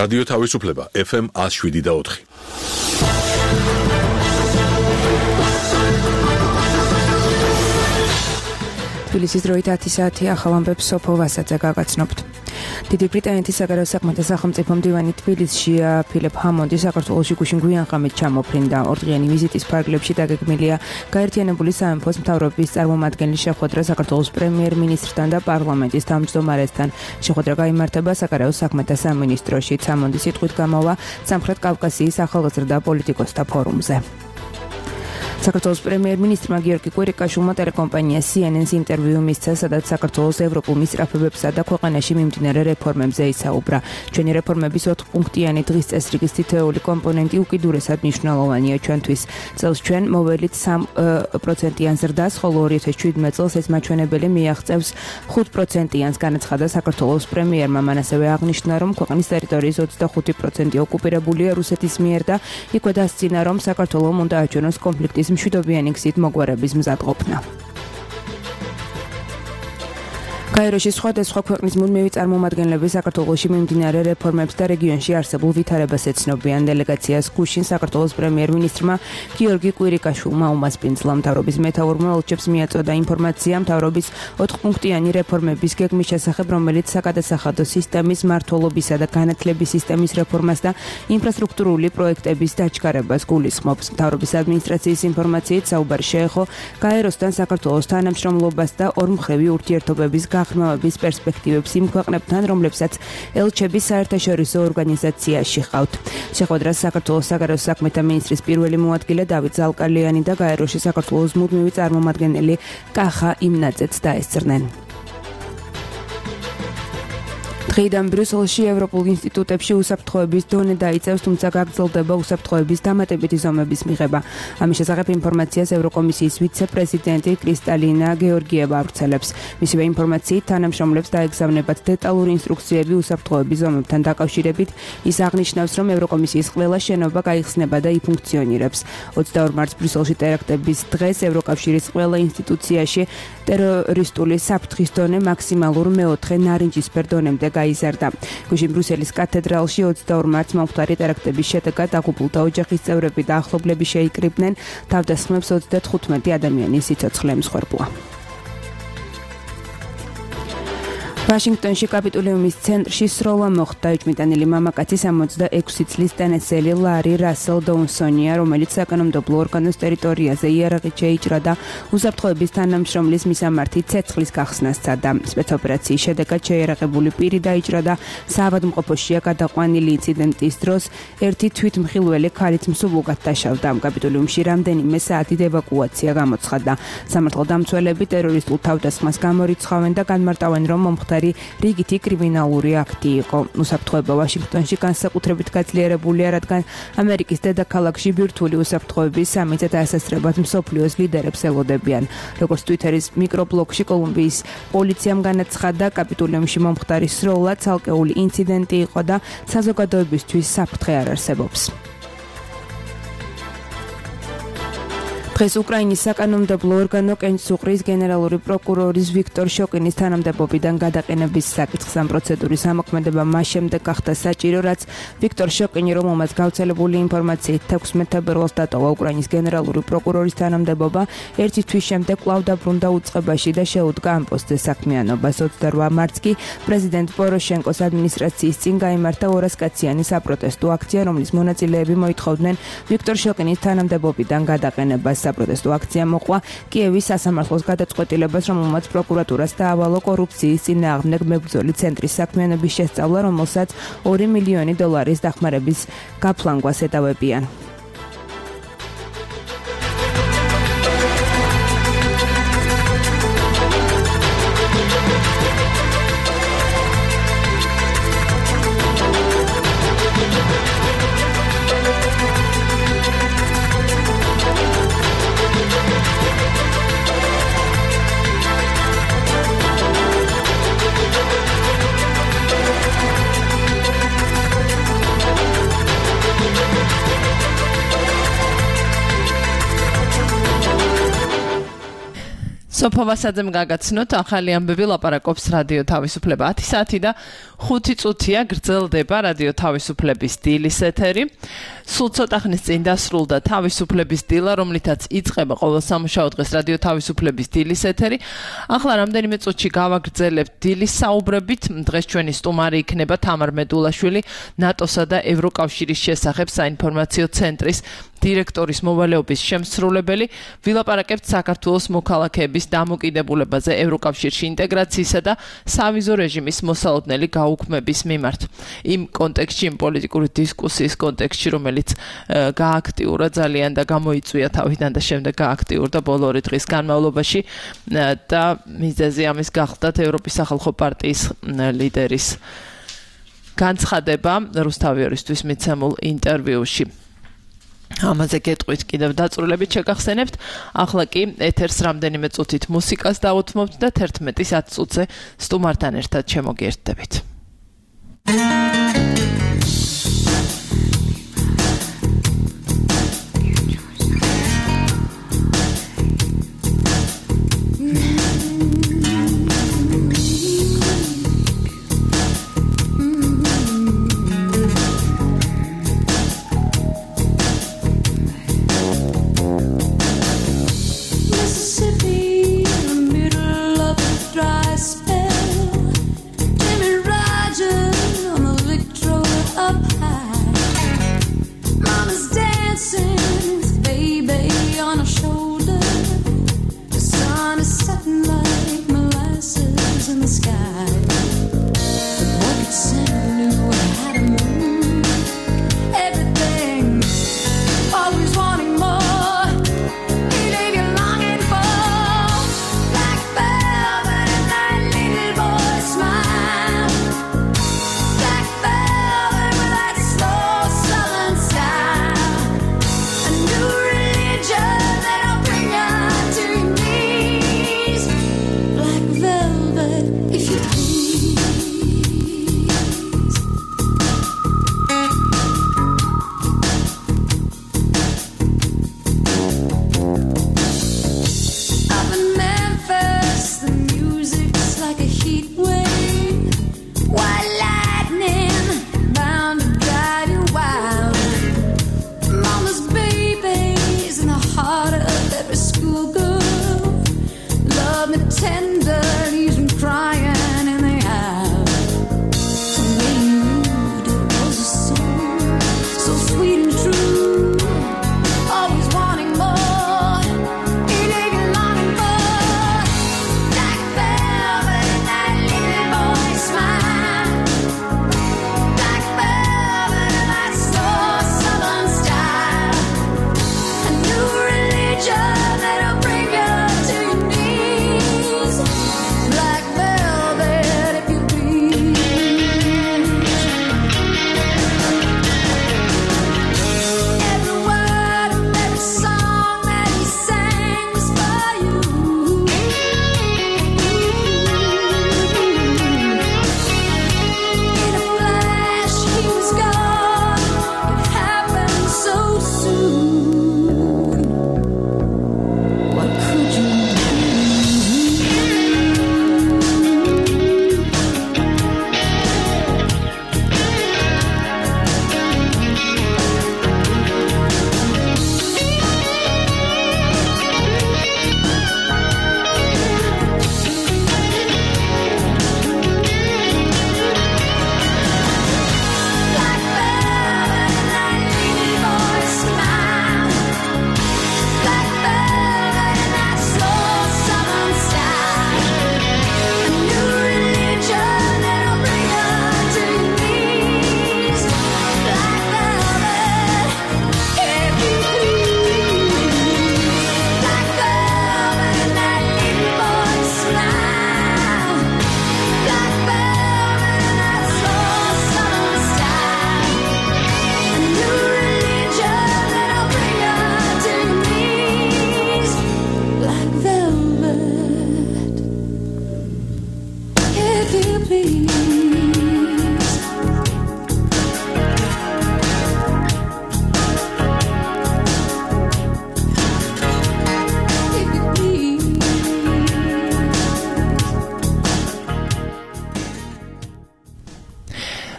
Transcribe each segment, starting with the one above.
რადიო თავისუფლება FM 107.4. თბილისის დროით 10 საათი ახალ ამბებს სოფო ვასაძე გაგაცნობთ. დიდი ბრიტანეთის საგარეო საქმეთა სახელმწიფო მდივანი თბილისში ფილიპ ჰამონდი საქართველოში გუშინ გვიანღამით ჩამოფრინდა. ორდღიანი ვიზიტის ფარგლებში დაგეგმილია გაერთიანებული სამეფოს მთავრობის წარმომადგენლის შეხვედრა საქართველოს პრემიერ-მინისტრთან და პარლამენტის თავმჯდომარესთან. შეხვედრა გაიმართება საგარეო საქმეთა სამინისტროში. ჰამონდი სიტყვით გამოვა სამხრეთ კავკასიის ახალგაზრდა პოლიტიკოსთა ფორუმზე. საქართველოს პრემიერ-მინისტრმა გიორგი კვირიკაშვილმა ტელეკომპანია CNN-ს ინტერვიუ მისცა, სადაც საქართველოს ევროპულ მისწრაფებებსა და ქვეყანაში მიმდინარე რეფორმებზე ისაუბრა. ჩვენი რეფორმების 4-პუნქტიანი დღის წესრიგის თითოეული კომპონენტი უკიდურესად მნიშვნელოვანია ჩვენთვის. წელს ჩვენ მოველით 3%-იან ზრდას, ხოლო 2017 წელს ეს მაჩვენებელი მიაღწევს 5%-იანს, განაცხადა საქართველოს პრემიერმა. მან ასევე აღნიშნა, რომ ქვეყნის ტერიტორიის 25% ოკუპირებულია რუსეთის მიერ და იქვე დასძინა, რომ საქართველომ უნდა აჩვენოს კონფლიქტის მშვიდობიანი გზით მოგვარების მზადყოფნა. გაეროში სხვადასხვა ქვეყნის მუდმივი წარმომადგენლები საქართველოში მიმდინარე რეფორმებს და რეგიონში არსებულ ვითარებას ეცნობიან. დელეგაციას გუშინ საქართველოს პრემიერ-მინისტრმა გიორგი კვირიკაშვილმა უმასპინძლა. მთავრობის მეთაურმა ელჩებს მიაწოდა ინფორმაცია მთავრობის 4-პუნქტიანი რეფორმების გეგმის შესახებ, რომელიც საკადასახადო სისტემის მმართველობისა და განათლების სისტემის რეფორმას და ინფრასტრუქტურული პროექტების დაჩქარებას გულისხმობს. მთავრობის ადმინისტრაციის ინფორმაციით საუბარი შეეხო გაეროსთან საქართველოს თანამშრომლობას და ორმხრივი ურთიერთობების ღრმავების პერსპექტივებს იმ ქვეყნებთან, რომლებსაც ელჩები საერთაშორისო ორგანიზაციაში ჰყავთ. შეხვედრას საქართველოს საგარეო საქმეთა მინისტრის პირველი მოადგილე დავით ზალკალიანი და გაეროში საქართველოს მუდმივი წარმომადგენელი კახა იმნაძეც დაესწრნენ. დღეიდან ბრიუსელში ევროპულ ინსტიტუტებში უსაფრთხოების დონე დაიწევს, თუმცა გაგრძელდება უსაფრთხოების დამატებითი ზომების მიღება. ამის შესახებ ინფორმაციას ევროკომისიის ვიცე-პრეზიდენტი კრისტალინა გეორგიევა ავრცელებს. მისივე ინფორმაციით თანამშრომლებს დაეგზავნებათ დეტალური ინსტრუქციები უსაფრთხოების ზომებთან დაკავშირებით. ის აღნიშნავს, რომ ევროკომისიის ყველა შენობა გაიხსნება და იფუნქციონირებს. 22 მარტს ბრიუსელში ტერაქტების დღეს ევროკავშირის ყველა ინსტიტუციაში ტერორისტული საფრთხის დონე მაქსიმალურ მეოთხე ნარინჯისფერ დონემდე გაიზარდა. გუშინ ბრიუსელის კათედრალში 22 მარტს მომხდარი ტერაქტების შედეგად დაღუპულთა ოჯახის წევრები და ახლობლები შეიკრიბნენ. თავდასხმებს 35 ადამიანის სიცოცხლე ემსხვერპლა. ვაშინგტონში კაპიტულიუმის ცენტრში სროლა მოხდა. ეჭვმიტანილი მამაკაცი 66 წლის ტენესელი ლარი რასელ დოუნსონია, რომელიც საკანონმდებლო ორგანოს ტერიტორიაზე იარაღით შეიჭრა და უსაფრთხოების თანამშრომლის მისამართი ცეცხლის გახსნას სცადა. სპეცოპერაციის შედეგად შეიარაღებული პირი დაიჭრა და საავადმყოფოშია გადაყვანილი. ინციდენტის დროს ერთი თვითმხილველი ქალით მსუბუქად დაშავდა. კაპიტულიუმში რამდენიმე საათით ევაკუაცია გამოცხადდა. სამართალდამცველები ტერორისტულ თავდასხმას გამორიცხავენ და განმარტავენ, რომ მომხდარი რიგითი კრიმინალური აქტი იყო. უსაფრთხოება ვაშინგტონში განსაკუთრებით გაძლიერებულია, რადგან ამერიკის დედაქალაქში ბირთვული უსაფრთხოების სამიце დასასწრებად მსოფლიოს ლიდერებს ელოდებიან. როგორც ტვიტერის მიკრობლოგში კოლუმბიის პოლიციამ განაცხადა, კაპიტულიუმში მომხდარი სროლა ცალკეული ინციდენტი იყო და საზოგადოებისთვის საფრთხე არ არსებობს. დღეს უკრაინის საკანონმდებლო ორგანო კენჭსუხრის გენერალური პროკურორის ვიქტორ შოკინის თანამდებობიდან გადაყენების საკითხს ამ პროცედურის ამოქმედება მას შემდეგ გახდა საჭირო, რაც ვიქტორ შოკინი, რომელმაც გავრცელებული ინფორმაციით 16 თებერვალს დატოვა უკრაინის გენერალური პროკურორის თანამდებობა, ერთი თვის შემდეგ კვლავ დაბრუნდა უწყებაში და შეუდგა ამ პოსტზე საქმიანობას. 28 მარტს კი პრეზიდენტ პოროშენკოს ადმინისტრაციის წინ გაიმართა 200 კაციანი საპროტესტო აქცია, რომლის მონაწილეები მოითხოვდნენ ვიქტორ შოკინის თანამდებობიდან გადაყენებას. საპროტესტო აქცია მოყვა კიევის სასამართლოს გადაწყვეტილებას, რომელმაც პროკურატურას დაავალო კორუფციის წინააღმდეგ მებრძოლი ცენტრის საქმიანობის შესწავლა, რომელსაც $2 მილიონი დახმარების გაფლანგვას ეტავებიან. სოფო ვასაძემ გაგაცნოთ ახალი ამბები ლაპარაკობს რადიო თავისუფლება 10 საათი და 5 წუთია გრძელდება რადიო თავისუფლების დილის ეთერი. სულ ცოტა ხნის წინ დასრულდა თავისუფლების დილა, რომლითაც იწყება ყოველ სამუშაო დღეს რადიო თავისუფლების დილის ეთერი. ახლა რამდენიმე წუთში გავაგრძელებთ დილის საუბრებით. დღეს ჩვენი სტუმარი იქნება თამარ მედულაშვილი, ნატოსა და ევროკავშირის შესახებ საინფორმაციო ცენტრის დირექტორის მოვალეობის შემსრულებელი. ვილაპარაკებთ საქართველოს მოქალაქეების დამოკიდებულებაზე ევროკავშირში ინტეგრაციისა და სავიზო რეჟიმის მოსალოდნელი გაუქმების მიმართ. იმ კონტექსტში, იმ პოლიტიკური დისკუსიის კონტექსტში, რომელიც გააქტიურა ძალიან და გამოიწვია თავიდან და შემდეგ გააქტიურდა ბოლო 2 დღის განმავლობაში და მიზეზი ამის გახლდათ ევროპის სახალხო პარტიის ლიდერის განცხადება რუსთავიორისთვის მიცემულ ინტერვიუში. ამაზე გეტყვით კიდევ დაწვრილებით შეგახსენებთ. ახლა კი ეთერს რამდენიმე წუთით მუსიკას დავუთმობთ და 11:10 წუთზე სტუმართან ერთად შემოგიერთდებით. Black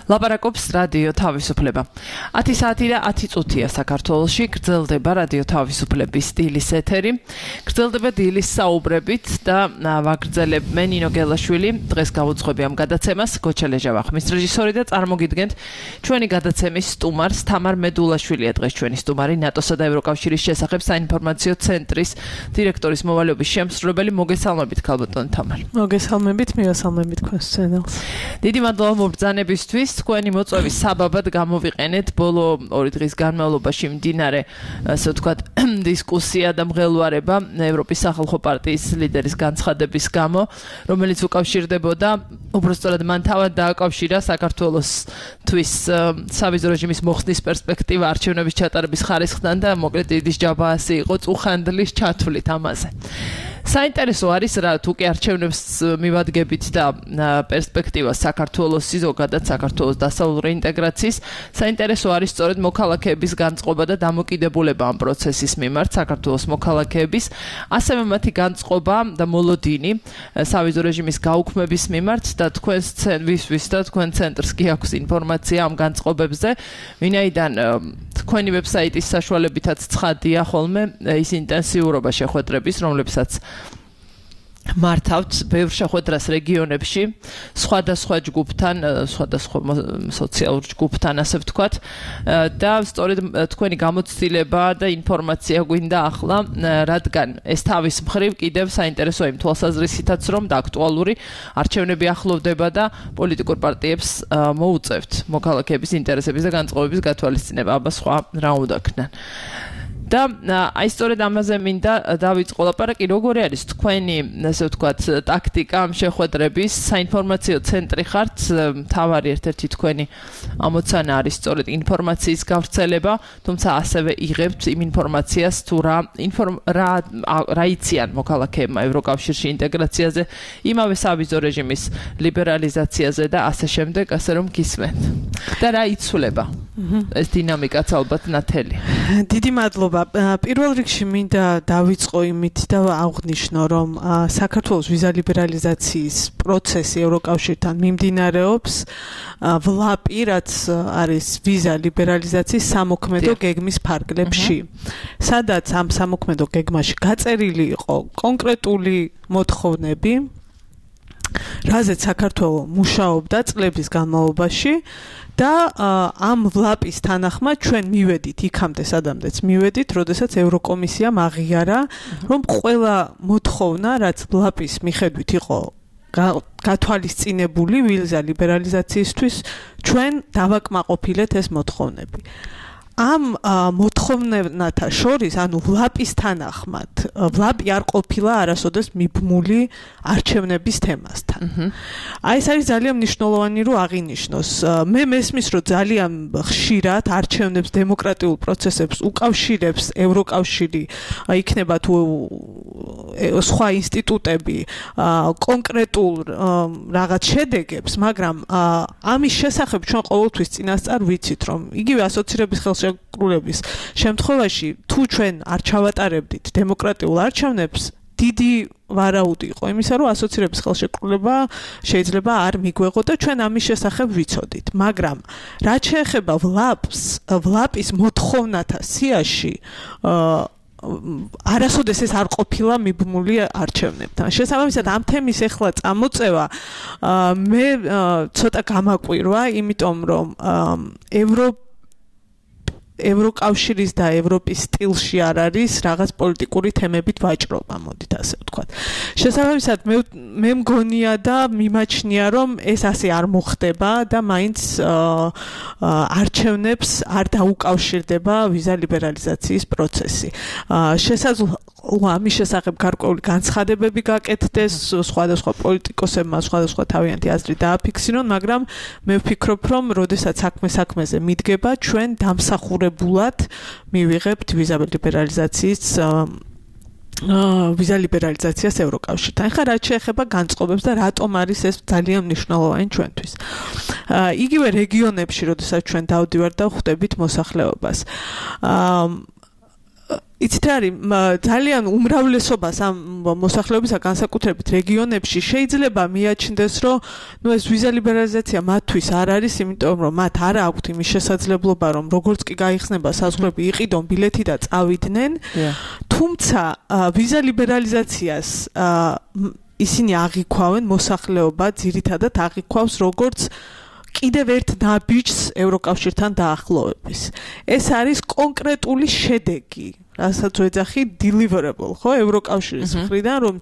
ლაპარაკობს რადიო თავისუფლება. 10 საათი და 10 წუთია საქართველოში გრძელდება რადიო თავისუფლების დილის ეთერი. გრძელდება დილის საუბრებით და ვაგრძელებ მე ნინო გელაშვილი. დღეს გავუძღვები ამ გადაცემას გოჩელეჟა ვახმის რეჟისორი და წარმოგიდგენთ ჩვენი გადაცემის სტუმარს თამარ მედულაშვილია დღეს ჩვენი სტუმარი ნატოსა და ევროკავშირის შესახებ საინფორმაციო ცენტრის დირექტორის მოვალეობის შემსრულებელი. მოგესალმებით ქალბატონ თამარ. მოგესალმებით, მივესალმებით თქვენს ცენელს. დიდი მადლობა მობრძანებისთვის. თქვენი მოწვევის საბაბად გამოვიყენეთ ბოლო 2 დღის განმავლობაში მდინარე, ასე ვთქვათ, დისკუსია და მღელვარება ევროპის სახალხო პარტიის ლიდერის განცხადების გამო, რომელიც უკავშირდებოდა, უბრალოდ მან თავად დააკავშირა საქართველოსთვის სავიზო რეჟიმის მოხსნის პერსპექტივა არჩევნების ჩატარების ხარისხთან და მოკლედ დიდი ჯაბაასი იყო წუხანდლის ჩათვლით ამაზე. საინტერესო არის რა თუ კი არჩევნებს მივადგებით და პერსპექტივას საქართველოს ზოგადად საქართველოს დასავლური ინტეგრაციის საინტერესო არის სწორედ მოქალაქეების განწყობა და დამოკიდებულება ამ პროცესის მიმართ საქართველოს მოქალაქეების ასევე მათი განწყობა და მოლოდინი სავიზო რეჟიმის გაუქმების მიმართ და თქვენს და თქვენ ცენტრს კი აქვს ინფორმაცია ამ განწყობებზე ვინაიდან თქვენი ვებსაიტის საშუალებითაც ცხადია ხოლმე ის ინტენსიურობა შეხვედრების რომლებსაც მართავთ ბევრ შეხვედრას რეგიონებში სხვადასხვა ჯგუფთან სხვადასხვა სოციალურ ჯგუფთან ასე ვთქვათ და სწორედ თქვენი გამოცდილება და ინფორმაცია გვინდა ახლა რადგან ეს თავის მხრივ კიდევ საინტერესოა იმ თვალსაზრისითაც რომ და აქტუალური არჩევნები ახლოვდება და პოლიტიკურ პარტიებს მოუწევთ მოქალაქეების ინტერესების და განწყობების გათვალისწინება აბა სხვა რა უნდა ქნან და აი სწორედ ამაზე მინდა დავიწყო ლაპარაკი როგორი არის თქვენი ასე ვთქვათ ტაქტიკა ამ შეხვედრების საინფორმაციო ცენტრი ხართ თავარი ერთ-ერთი თქვენი ამოცანა არის სწორედ ინფორმაციის გავრცელება თუმცა ასევე იღებთ იმ ინფორმაციას თუ რა იციან მოქალაქეებმა ევროკავშირში ინტეგრაციაზე იმავე სავიზო რეჟიმის ლიბერალიზაციაზე და ასე შემდეგ ასე რომ გისმენთ და რა იცვლება ეს დინამიკაც ალბათ ნათელი დიდი მადლობა პირველ რიგში მინდა დავიწყო იმით და აღვნიშნო რომ საქართველოს ვიზა ლიბერალიზაციის პროცესი ევროკავშირთან მიმდინარეობს ვლაპი რაც არის ვიზა ლიბერალიზაციის სამოქმედო გეგმის ფარგლებში სადაც ამ სამოქმედო გეგმაში გაწერილი იყო კონკრეტული მოთხოვნები რაზეც საქართველო მუშაობდა წლების განმავლობაში და ამ ვლაპის თანახმად ჩვენ მივედით იქამდე სადამდეც მივედით, როდესაც ევროკომისიამ აღიარა, რომ ყველა მოთხოვნა, რაც ვლაპის მიხედვით იყო გათვალისწინებული ვიზა ლიბერალიზაციისთვის, ჩვენ დავაკმაყოფილეთ ეს მოთხოვნები. ამ მოთხოვნებათა შორის, ანუ ვლაპის თანახმად, ვლაპი არ ყოფილა არასოდეს მიბმული არჩევნების თემასთან. აი ეს არის ძალიან მნიშვნელოვანი რომ აღინიშნოს. მე მესმის რომ ძალიან ხშირად არჩევნებს დემოკრატიულ პროცესებს უკავშირებს ევროკავშირი, იქნება თუ სხვა ინსტიტუტები კონკრეტულ რაღაც შედეგებს, მაგრამ ამის შესახებ ჩვენ ყოველთვის წინასწარ ვიცით რომ იგივე ასოცირების ხელშეკრულების შემთხვევაში თუ ჩვენ არ ჩავატარებდით დემოკრატიულ არჩევნებს დიდი ვარაუდი იყო იმისა რომ ასოცირების ხელშეკრულება შეიძლება არ მიგვეღო და ჩვენ ამის შესახებ ვიცოდით მაგრამ რაც შეეხება ვლაპის მოთხოვნათა სიაში არასოდეს ეს არ ყოფილა მიბმული არჩევნებთან. შესაბამისად ამ თემის ახლა წამოწევა მე ცოტა გამაკვირვა, იმიტომ რომ ევროკავშირის და ევროპის სტილში არ არის რაღაც პოლიტიკური თემებით ვაჭრობა, მოდით ასე ვთქვათ. შესაბამისად მე მგონია და მიმაჩნია რომ ეს ასე არ მოხდება და მაინც არჩევნებს არ დაუკავშირდება ვიზა ლიბერალიზაციის პროცესი. შესაძლოა ამის შესახებ გარკვეული განცხადებები გაკეთდეს სხვადასხვა პოლიტიკოსებმა სხვადასხვა თავიანთი აზრი დააფიქსირონ, მაგრამ მე ვფიქრობ რომ როდესაც საქმეზე მიდგება ჩვენ დამსახურებულად მივიღებთ ვიზა ლიბერალიზაციას ევროკავშირთან. ახლა რაც შეეხება განწყობებს და რატომ არის ეს ძალიან მნიშვნელოვანი ჩვენთვის. იგივე რეგიონებში, როდესაც ჩვენ დავდივართ და ხვდებით მოსახლეობას. იცით რა არის ძალიან უმრავლესობას ამ მოსახლეობისა განსაკუთრებით რეგიონებში შეიძლება მიაჩნდეს რომ ეს ვიზა ლიბერალიზაცია მათთვის არ არის იმიტომ რომ მათ არ აქვთ იმის შესაძლებლობა რომ როგორც კი გაიხსნება საზღვრები იყიდონ ბილეთი და წავიდნენ თუმცა ვიზა ლიბერალიზაციას ისინი აღიქვავენ მოსახლეობა ძირითადად აღიქვავს როგორც კიდევ ერთ ნაბიჯს ევროკავშირთან დაახლოების. ეს არის კონკრეტული შედეგი, რასაც ვეძახი deliverable, ხო, ევროკავშირის მხრიდან, რომ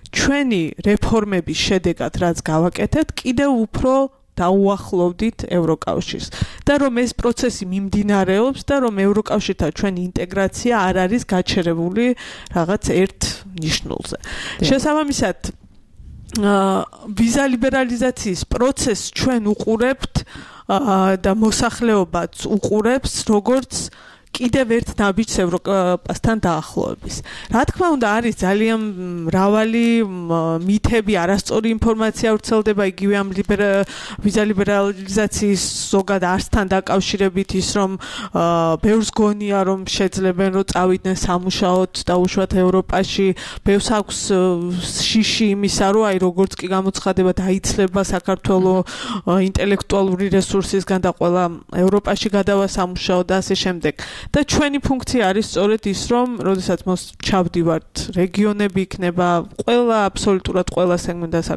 ჩვენი რეფორმების შედეგად რაც გავაკეთებთ, კიდევ უფრო დაუახლოვდით ევროკავშირს და რომ ეს პროცესი მიმდინარეობს და რომ ევროკავშირთან ჩვენი ინტეგრაცია არ არის გაჩერებული რაღაც ერთ ნიშნულზე. შესაბამისად ვიზა ლიბერალიზაციის პროცესს ჩვენ უყურებთ და მოსახლეობაც უყურებს როგორც კიდევ ერთ ნაბიჯს ევროპასთან დაახლოების. რა თქმა უნდა არის ძალიან მრავალი მითები, არასწორი ინფორმაცია ვრცელდება იგივე ამ ვიზა ლიბერალიზაციის ზოგად არსთან დაკავშირებით ის რომ ბევრს გონია რომ შეძლებენ რომ წავიდნენ სამუშაოდ დაუშვათ ევროპაში, ბევრს აქვს შიში იმისა რომ აი როგორც კი გამოცხადება დაიცლება საქართველოს ინტელექტუალური რესურსისგან და ყველა ევროპაში გადავა სამუშაოდ და ასე შემდეგ. და ჩვენი ფუნქცია არის სწორედ ის რომ როდესაც ჩავდივართ რეგიონები იქნება ყველა აბსოლუტურად ყველა სეგმენტის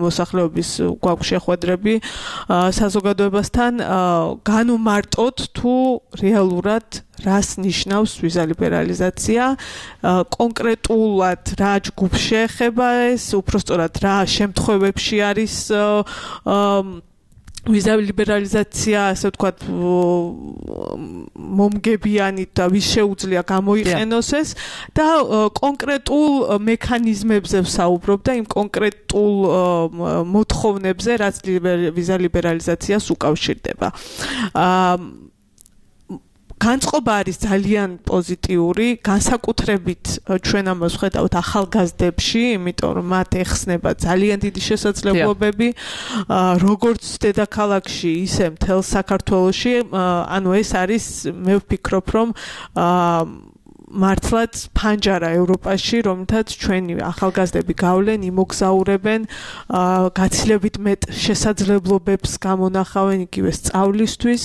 მოსახლეობის გვაქვს შეხვედრები საზოგადოებასთან განვმარტოთ თუ რეალურად რას ნიშნავს ვიზა ლიბერალიზაცია კონკრეტულად რა ჯგუფს შეეხება ეს უпростоრად რა შემთხვევებში არის ვიზა ლიბერალიზაცია, ასე ვთქვათ, მომგებიანი და ვის შეუძლია გამოიყენოს ეს და კონკრეტულ მექანიზმებზე ვსაუბრობ და იმ კონკრეტულ მოთხოვნებზე, რაც ვიზა ლიბერალიზაციას უკავშირდება. განწყობა არის ძალიან პოზიტიური, განსაკუთრებით ჩვენ ამას ვხედავთ ახალგაზრდებში, იმიტომ რომ მათ ეხსნება ძალიან დიდი შესაძლებლობები, როგორც დედაქალაქში, ისე მთელ საქართველოში, ანუ ეს არის მე ვფიქრობ, რომ მართლაც ფანჯარა ევროპაში, რომლითაც ჩვენი ახალგაზრდები გავლენ, იმოგზაურებენ, გაცილებით მეტ შესაძლებლობებს გამონახავენ იგივე სწავლისთვის,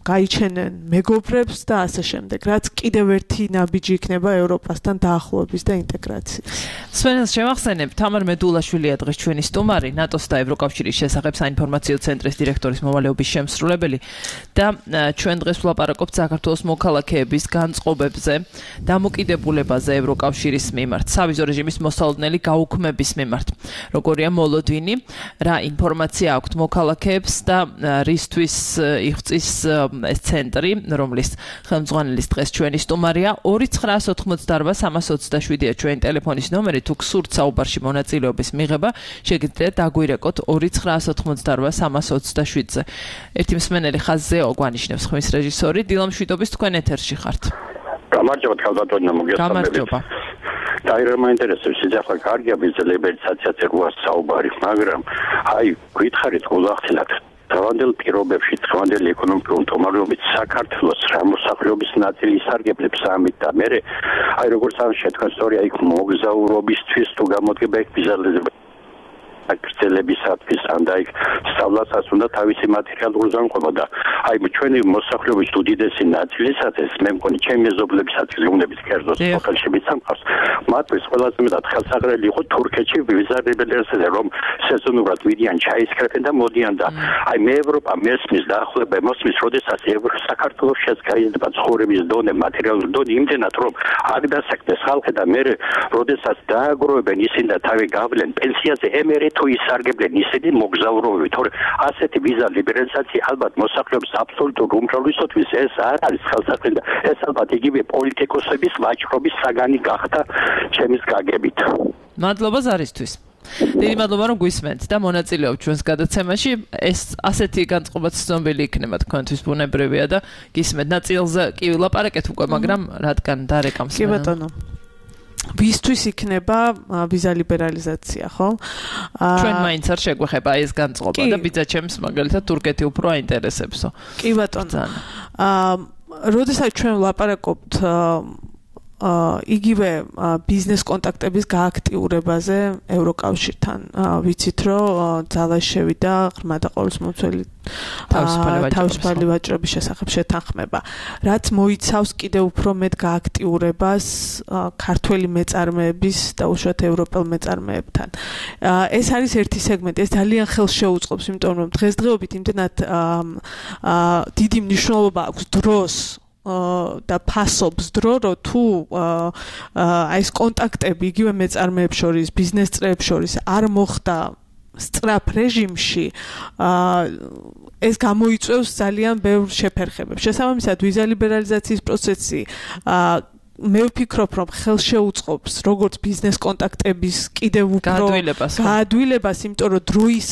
გაიჩენენ მეგობრებს და ასე შემდეგ, რაც კიდევ ერთი ნაბიჯი იქნება ევროპასთან დაახლოების და ინტეგრაციის. სვენელს შევახსენებ, თამარ მედულაშვილია დღეს ჩვენი სტუმარი, ნატოს და ევროკავშირის შესახებ საინფორმაციო ცენტრის დირექტორის მოვალეობის შემსრულებელი და ჩვენ დღეს ვლაპარაკობთ საქართველოს მოქალაქეების განწყობებზე, დამოკიდებულებაზე ევროკავშირის მიმართ, სავიზო რეჟიმის მოსალოდნელი გაუქმების მიმართ. როგორია მოლოდინი, რა ინფორმაცია აქვთ მოქალაქეებს და რისთვის იღწის ეს ცენტრი, რომლის ხელმძღვანელის დღეს ჩვენი სტუმარია 2988327-ია ჩვენი ტელეფონის ნომერი, თუ გსურთ საუბარში მონაწილეობის მიღება, შეგიძლიათ დაგვირეკოთ 2988327-ზე. ერთი მსმენელი ხაზზეო გვანიშნებს ხმის რეჟისორი, დილა მშვიდობის თქვენ ეთერში ხართ. გამარჯობა ქალბატონო, მოგესალმებით. გამარჯობა. დაირა მაინტერესებს ის ახლა კარგია ვიზა ლიბერალიზაციაზე საუბარი, მაგრამ აი გითხარით გულახდილად დღევანდელ პირობებში, დღევანდელი ეკონომიკური მდგომარეობით საქართველოს რა მოსახლეობის ნაწილი ისარგებლებს ამით და მე აი როგორც ამ შეთქვა სწორი აი მოგზაურობისთვის თუ გამოდგება იქ ვიზა გრძელებისათვის ან და იქ სწავლასაც უნდა თავისი მატერიალური ზამთრობა და აი ჩვენი მოსახლეობის უდიდესი ნაწილისათვის მე მგონი ჩემი მეზობლებისაც გუნდების კერძოს სოფელში მიცამყავს მათთვის ყველაზე მეტად ხელსაღრელი იყო თურქეთში ვიზა ლიბერალიზაცია რომ სეზონურად მიდიან ჩაისკრებენ და მოდიან და აი მე ევროპა მესმის დაახლოება მოსმის როდესაც საქართველოს შეცგაიზდება ცხოვრების დონე მატერიალური დონე იმდენად რომ აქ დასაქმდეს ხალხი და მე როდესაც დააგროვებენ ისინი და თავი გავლენ პენსიაზე ემერე თუ ისარგებლენ ისინი მოგზაურობები თორე ასეთი ვიზა ლიბერალიზაცია ალბათ მოსახლეობის აბსოლუტურ უმრავლესობისთვის ეს არ არის ხელსაყრელი და ეს ალბათ იგივე პოლიტიკოსების ვაჭრობის საგანი გახდა ჩემის გაგებით. მადლობა ზარისთვის. დიდი მადლობა რომ გვისმენთ და მონაწილეობთ ჩვენს გადაცემაში. ეს ასეთი განწყობაც ცნობილი იქნება თქვენთვის ბუნებრივია და გისმენთ ნაწილზე კი ვილაპარაკეთ უკვე, მაგრამ რადგან დარეკამს. კი ბატონო. ვისთვის იქნება ვიზა ლიბერალიზაცია, ხო? ჩვენ მაინც არ შეგვეხება ეს განწყობა და ბიძაჩემს მაგალითად თურქეთი უფრო აინტერესებსო. კი ბატონო. როდესაც ჩვენ ვლაპარაკობთ იგივე ბიზნეს კონტაქტების გააქტიურებაზე ევროკავშირთან, ვიცით რომ ძალა შევიდა ღრმა და ყოვლისმომცველი თავისუფალი ვაჭრობის შესახებ შეთანხმება, რაც მოიცავს კიდევ უფრო მეტ გააქტიურებას ქართველი მეწარმეების და უშუალოდ ევროპელ მეწარმეებთან. ეს არის ერთი სეგმენტი, ეს ძალიან ხელს შეუწყობს, იმიტომ რომ დღესდღეობით იმდენად დიდი მნიშვნელობა აქვს დროს და ფასობს დრო, რომ თუ აი ეს კონტაქტები იგივე მეწარმეებს შორის, ბიზნეს წრეებს შორის არ მოხდა სწრაფ რეჟიმში, ეს გამოიწვევს ძალიან ბევრ შეფერხებებს. შესაბამისად, ვიზა ლიბერალიზაციის პროცესი მე ვფიქრობ, რომ ხელს შეუწყობს როგორც ბიზნეს კონტაქტების კიდევ უფრო გაადვილებას, იმიტომ რომ დროის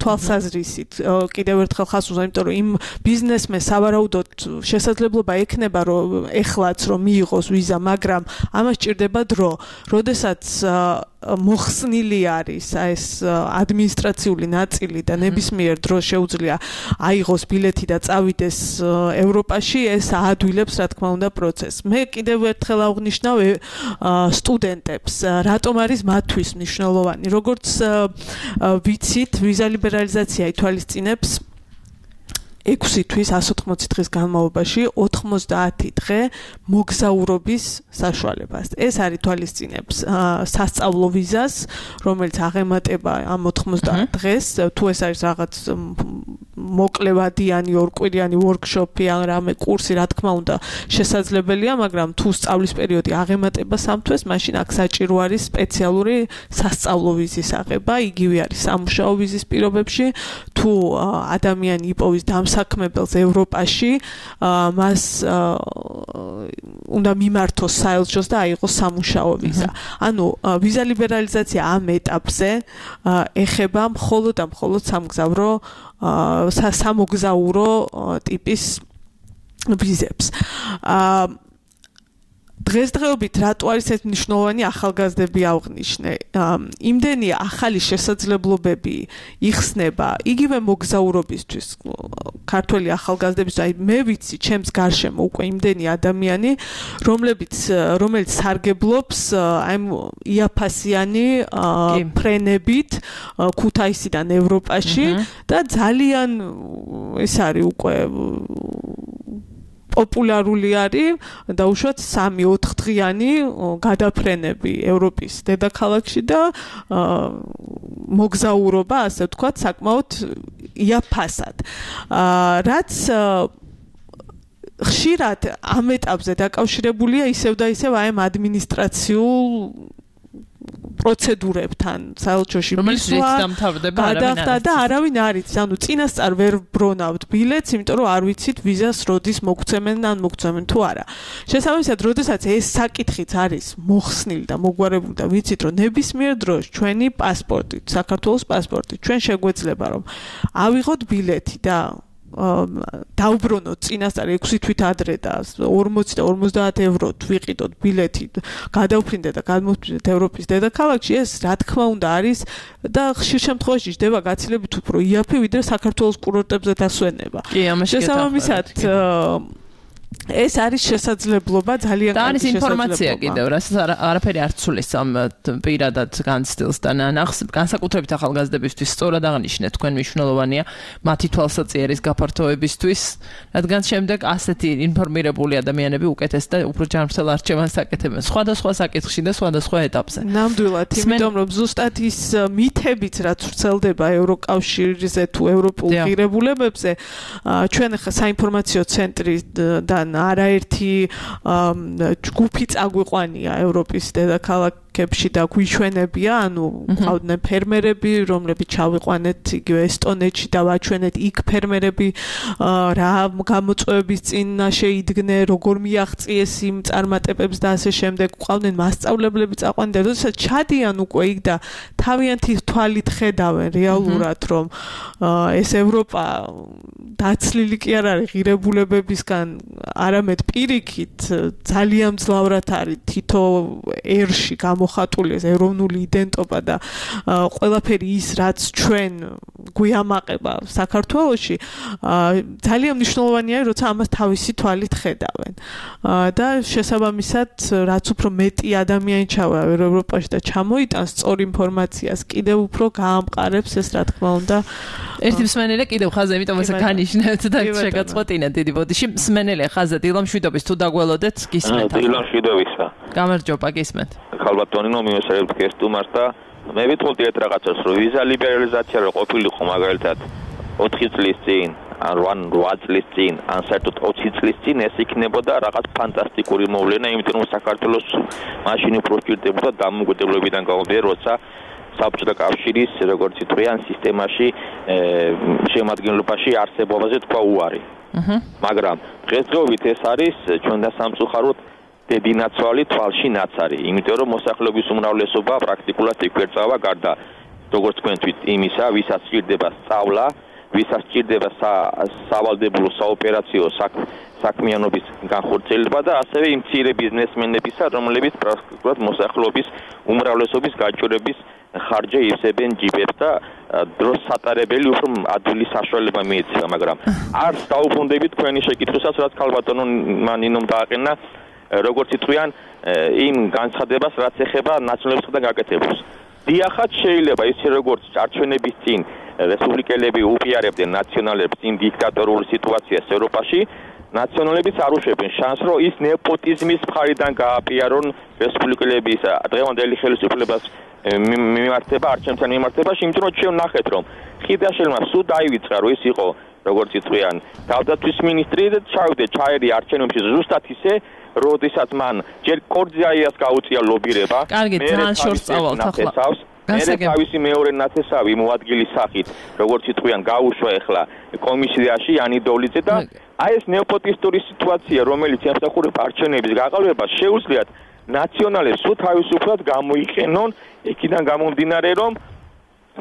თვალსაზრისით კიდევ ერთხელ ხას უზა, იმიტომ რომ იმ ბიზნესმენს სავარაუდოდ შესაძლებლობა ექნება, რომ ეხლაც რომ მიიღოს ვიზა, მაგრამ ამას ჭირდება დრო, როდესაც მოხსნილი არის ეს ადმინისტრაციული ნაწილი და ნებისმიერ დროს შეუძლია აიღოს ბილეთი და წავიდეს ევროპაში, ეს აადვილებს რა თქმა უნდა პროცესს. მე კიდევ ერთხელ აღნიშნავ სტუდენტებს, რატომ არის მათთვის მნიშვნელოვანი. როგორც ვიცით, ვიზა ლიბერალიზაცია ითვალისწინებს 6 თვის 180 დღის განმავლობაში 90 დღე მოგზაურობის საშუალებას. ეს არის თვალისწინებს სასწავლო ვიზას, რომელიც აღემატება ამ 90 დღეს, თუ ეს არის რაღაც მოკლევადიანი ორკვირიანი ვორქშოპი ან რამე კურსი, რა თქმა უნდა, შესაძლებელია, მაგრამ თუ სწავლის პერიოდი აღემატება 3 თვეს, მაშინ აქ საჭირო არის სპეციალური სასწავლო ვიზის აღება, იგივე არის სამუშაო ვიზის პირობებში, თუ ადამიანი იპოვის საქმებელს ევროპაში, მას უნდა მიმართოს საელჩოს და აიღოს სამუშაო ვიზა. ანუ ვიზა ლიბერალიზაცია ამ ეტაპზე ეხება მხოლოდ და მხოლოდ სამოგზაურო ტიპის ვიზებს. დღესდღეობით რატო არის ეს მნიშვნელოვანი, ახალგაზრდები აღნიშნე. იმდენი ახალი შესაძლებლობები იხსნება იგივე მოგზაურობისთვის ქართველი ახალგაზრდების, აი მე ვიცი, ჩემს გარშემო უკვე იმდენი ადამიანი, რომელიც სარგებლობს აი იაფასიანი ფრენებით ქუთაისიდან ევროპაში და ძალიან ეს არის უკვე პოპულარული არის და უშუალოდ 3-4 დღიანი გადაფრენები ევროპის დედაქალაქში და მოგზაურობა, ასე ვთქვათ, საკმაოდ იაფასად. რაც ხშირად ამ ეტაპზე დაკავშირებულია ისევ და ისევ აი ამ ადმინისტრაციულ პროცედურებთან საელჩოში მისვლა გადახდა და არავინ არ იცის, ანუ წინასწარ ვერ ბრონავთ ბილეთს, იმიტომ რომ არ ვიცით ვიზას როდის მოგცემენ ან მოგცემენ თუ არა. შესაბამისად, როდესაც ეს საკითხიც არის მოხსნილი და მოგვარებული და ვიცით, რომ ნებისმიერ დროს ჩვენი პასპორტით, საქართველოს პასპორტით, ჩვენ შეგვეძლება რომ ავიღოთ ბილეთი და დავბრუნოთ წინასწარ 6 თვით ადრე და 40 და 50 ევროთ ვიყიდოთ ბილეთი, გადავფრინდეთ და გადმოვფრინდეთ ევროპის დედაქალაქში, ეს რა თქმა უნდა არის და ხშირ შემთხვევაში ჯდება გაცილებით უფრო იაფი, ვიდრე საქართველოს კურორტებზე დასვენება. შესაბამისად, ეს არის შესაძლებლობა ძალიან კარგი. და არის ინფორმაცია კიდევ, რასაც არაფერი არ ცulis ამ პირადად განცდილს და განსაკუთრებით ახალგაზრდებისთვის სწორად აღნიშნეთ, თქვენ მნიშვნელოვანია მათი თვალსაჩინოს გაფართოებისთვის, რადგან შემდეგ ასეთი ინფორმირებული ადამიანები უკეთეს და უფრო ჯანმრთელ არჩევანს აკეთებენ სხვადასხვა საკითხში და სხვადასხვა ეტაპზე. ნამდვილად, იმიტომ რომ ზუსტად ის მითებიც რაც ვრცელდება ევროკავშირზე თუ ევროპულ ღირებულებებზე, ჩვენ ახლა საინფორმაციო ცენტრიდან არაერთი ჯგუფი წაგვიყვანია ევროპის დედაქალაქებში და გვიჩვენებია, ანუ ყავდნენ ფერმერები, რომლებიც ჩავიყვანეთ იგივე ესტონეთში და ვაჩვენეთ იქ ფერმერები რა გამოწვევების წინ შეიდგნენ, როგორ მიაღწიეს იმ წარმატებებს და ასე შემდეგ. ყავდნენ მასწავლებლები წაყვანდნენ და როდესაც ჩადიან უკვე იქ და თავიანთი თვალით ხედავენ რეალურად, რომ ეს ევროპა დაცლილი კი არ არის ღირებულებებისგან, არამედ პირიქით ძალიან მძლავრად არის თითო ერში გამოხატული ეს ეროვნული იდენტობა და ყველაფერი ის, რაც ჩვენ გვიამაყება საქართველოში ძალიან მნიშვნელოვანია როცა ამას თავისი თვალით ხედავენ და შესაბამისად რაც უფრო მეტი ადამიანი ჩავარდა ევროპაში და ჩამოიტანს სწორ ინფორმაციას კიდევ უფრო გაამყარებს ეს რა თქმა უნდა ერთი მსმენელი კიდევ ხაზე იმიტომ ეს განიშნეთ და შეგაწყვეტინა დიდი ბოდიში მსმენელი ხაზე დილამშვიდობის თუ დაგველოდეთ გისმენთ დილამშვიდობისა გამარჯობა გისმენთ ქალბატონინო მიმოსერებთ გესტუმარს და მე ვიტყოდი ერთ რაღაცას რომ ვიზა ლიბერალიზაცია რო ყოფილიყო მაგალითად 4 წლის წინ ან 8 წლის წინ ან საერთოდ 20 წლის წინ ეს იქნებოდა რაღაც ფანტასტიკური მოვლენა იმიტომ რომ საქართველოს მაშინ უფრო ჭირდებოდა დამოუკიდებლობიდან გამომდინარე როცა საბჭოთა კავშირის როგორც იტყვიან სისტემაში შემადგენლობაში არსებობაზე თქვა უარი მაგრამ დღესდღეობით ეს არის ჩვენ და სამწუხაროდ დებინაცვალი თვალში ნაცარი იმიტომ რომ მოსახლეობის უმრავლესობა პრაქტიკულად იკვერწავა გარდა როგორც თქვენ თვით იმისა ვისაც სჭირდება სწავლა ვისაც სჭირდება სავალდებულო საოპერაციო საქმიანობის განხორციელება და ასევე იმ მცირე ბიზნესმენებისა რომლებიც პრაქტიკულად მოსახლეობის უმრავლესობის გაჭირვების ხარჯზე ივსებენ ჯიბებს და დროს სატარებელი უფრო ადვილი საშუალება მიეცემა მაგრამ არც დაუბრუნდებით თქვენი შეკითხვასაც რაც ქალბატონო მანინომ დააყენა როგორც იტყვიან იმ განცხადებას რაც ეხება ნაციონალიზმთან გაკეთებას. დიახაც შეიძლება ისე როგორც წარჩვენების წინ რესპუბლიკელები უპიარებდნენ ნაციონალებს იმ დიქტატორულ სიტუაციას ევროპაში, ნაციონალებიც არ უშვებენ შანსს, რომ ის ნეპოტიზმის მხარიდან გააპიარონ რესპუბლიკელების დღევანდელი ხელისუფლებას მიმართება, არჩევნებთან მიმართებაში, იმიტომ რომ ჩვენ ნახეთ, რომ ხიდაშელმა სულ დაივიწყა, რომ ის იყო როგორც იტყვიან თავდაცვის მინისტრი და ჩაერი არჩევნებში ზუსტად ისე როდესაც მან ჯერ კორძაიას გაუწია ლობირება კარგი ძალიან შორს წავალთ ახლა მე თავისი მეორე ნათესავი მოადგილის სახით როგორც იტყვიან გაუშვა ახლა კომისიაში იანი დოლიძე და აი ეს ნეოპოტისტური სიტუაცია რომელიც ემსახურება არჩევნების გაყალბებას შეუძლიათ ნაციონალებს თუ თავისუფლად გამოიყენონ იქიდან გამომდინარე რომ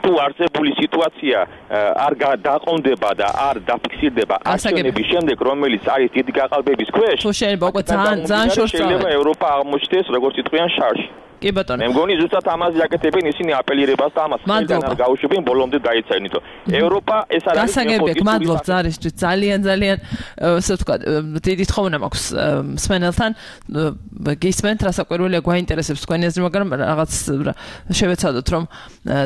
თუ არსებული სიტუაცია არ დაყონდება და არ დაფიქსირდება არჩევნების შემდეგ რომელიც არის დიდი გაყალბების ქვეშ თუ შეიძლება უკვე ძალიან შორს შეიძლება ევროპა აღმოჩნდეს როგორც იტყვიან შარში კი ბატონო მე მგონი ზუსტად ამაზე აკეთებენ ისინი აპელირებას და ამას არ გაუშვებენ ბოლომდე დაეცაინიტო ევროპა ეს არის გასაგებია გმადლობთ ზარისთვის ძალიან ასე ვთქვათ დიდი თხოვნა მაქვს მსმენელთან გისმენთ რასაკვირველია გვაინტერესებს თქვენი აზრი მაგრამ რაღაც შევეცადოთ რომ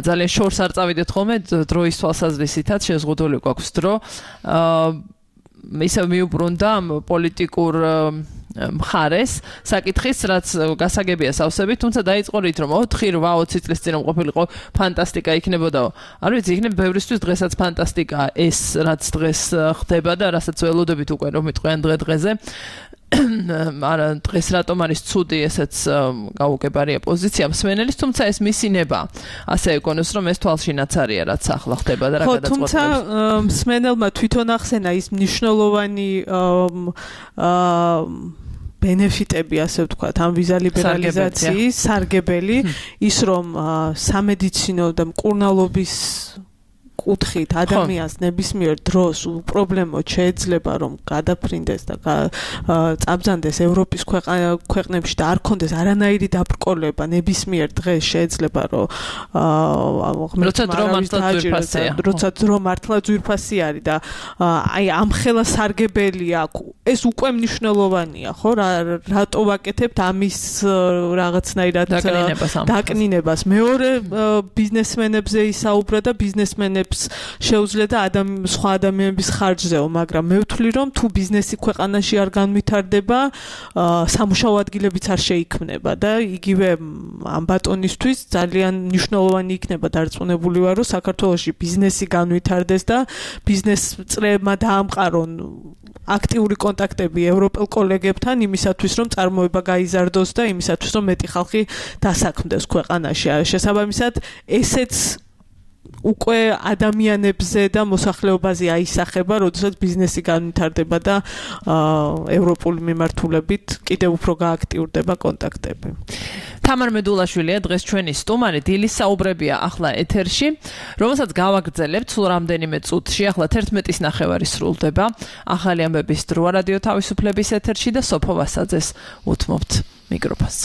ძალიან შორს არ წავიდეთ ხოლმე დროის თვალსაზრისითაც შეზღუდული გვაქვს დრო ისევ მიუბრუნდა პოლიტიკურ მხარეს საკითხის რაც გასაგებია სავსებით თუმცა დაიწყო რით რომ 4-8 წლის წინ ყოფილიყო ფანტასტიკა იქნებოდაო არ ვიცი იქნებ ბევრისთვის დღესაც ფანტასტიკა ეს რაც დღეს ხდება და რასაც ველოდებით უკვე რომ მიტყვიან დღე-დღეზე არა დღეს რატომ არის ცუდი ესეც გაუგებარია პოზიცია მსმენელის თუმცა ეს მისინება ასე ეკონოს რომ ეს თვალში ნაცარია რაც ახლა ხდება და რა გადაწყვეტილებს თუმცა მსმენელმა თვითონ ახსენა ის მნიშვნელოვანი ბენეფიტები ასე ვთქვათ ამ ვიზა ლიბერალიზაციის სარგებელი ის რომ სამედიცინო და მკურნალობის კუთხით ადამიანს ნებისმიერ დროს უპრობლემოდ შეიძლება რომ გადაფრინდეს და წაბრძანდეს ევროპის ქვეყნებში და არ კონდეს αρანაირი დაბრკოლება ნებისმიერ დღეს შეიძლება რომ როცა დრო მართლა ძვირფასი არის და აი ამ ხელა სარგებელია ეს უკვე მნიშვნელოვანია ხო რატო ვაკეთებთ ამის რაღაცნაირად დაკნინებას მეორე ბიზნესმენებზე ისაუბრა და ბიზნესმენებს შეუძლია და სხვა ადამიანების ხარჯზეო, მაგრამ მე ვთვლი რომ თუ ბიზნესი ქვეყანაში არ განვითარდება, სამუშაო ადგილებიც არ შეიქმნება და იგივე ამ ბატონისთვის ძალიან მნიშვნელოვანი იქნება დარწმუნებული ვარ რომ საქართველოში ბიზნესი განვითარდეს და ბიზნეს წრეებმა დაამყარონ აქტიური კონტაქტები ევროპელ კოლეგებთან იმისათვის რომ წარმოება გაიზარდოს და იმისათვის რომ მეტი ხალხი დასაქმდეს ქვეყანაში. შესაბამისად ესეც უკვე ადამიანებზე და მოსახლეობაზე აისახება, როდესაც ბიზნესი განვითარდება და ევროპული მიმართულებით კიდევ უფრო გააქტიურდება კონტაქტები. თამარ მედულაშვილია დღეს ჩვენი სტუმარი დილის საუბრებია ახლა ეთერში, რომელსაც გავაგრძელებთ სულ რამდენიმე წუთში, ახლა 11:30 სრულდება. ახალი ამბების დროა რადიო თავისუფლების ეთერში და სოფო ვასაძეს უთმობთ მიკროფონს.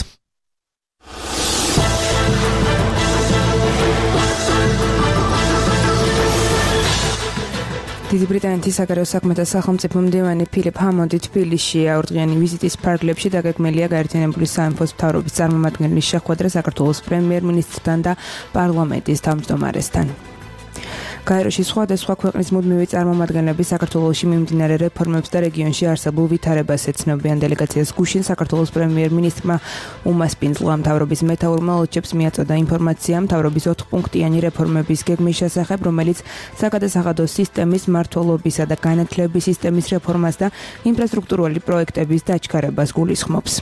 დიდი ბრიტანეთის საგარეო საქმეთა სახელმწიფო მდივანი ფილიპ ჰამონდი თბილისშია. ორდღიანი ვიზიტის ფარგლებში დაგეგმილია გაერთიანებული სამეფოს მთავრობის წარმომადგენლის შეხვედრა საქართველოს პრემიერ-მინისტრთან და პარლამენტის თავმჯდომარესთან. გაეროში სხვადასხვა ქვეყნის მუდმივი წარმომადგენლები საქართველოში მიმდინარე რეფორმებს და რეგიონში არსებულ ვითარებას ეცნობიან. დელეგაციას გუშინ საქართველოს პრემიერ-მინისტრმა უმასპინძლა მთავრობის მეთაურმა ელჩებს მიაწოდა ინფორმაცია მთავრობის 4-პუნქტიანი რეფორმების გეგმის შესახებ, რომელიც საგადასახადო სისტემის მმართველობისა და განათლების სისტემის რეფორმას და ინფრასტრუქტურული პროექტების დაჩქარებას გულისხმობს.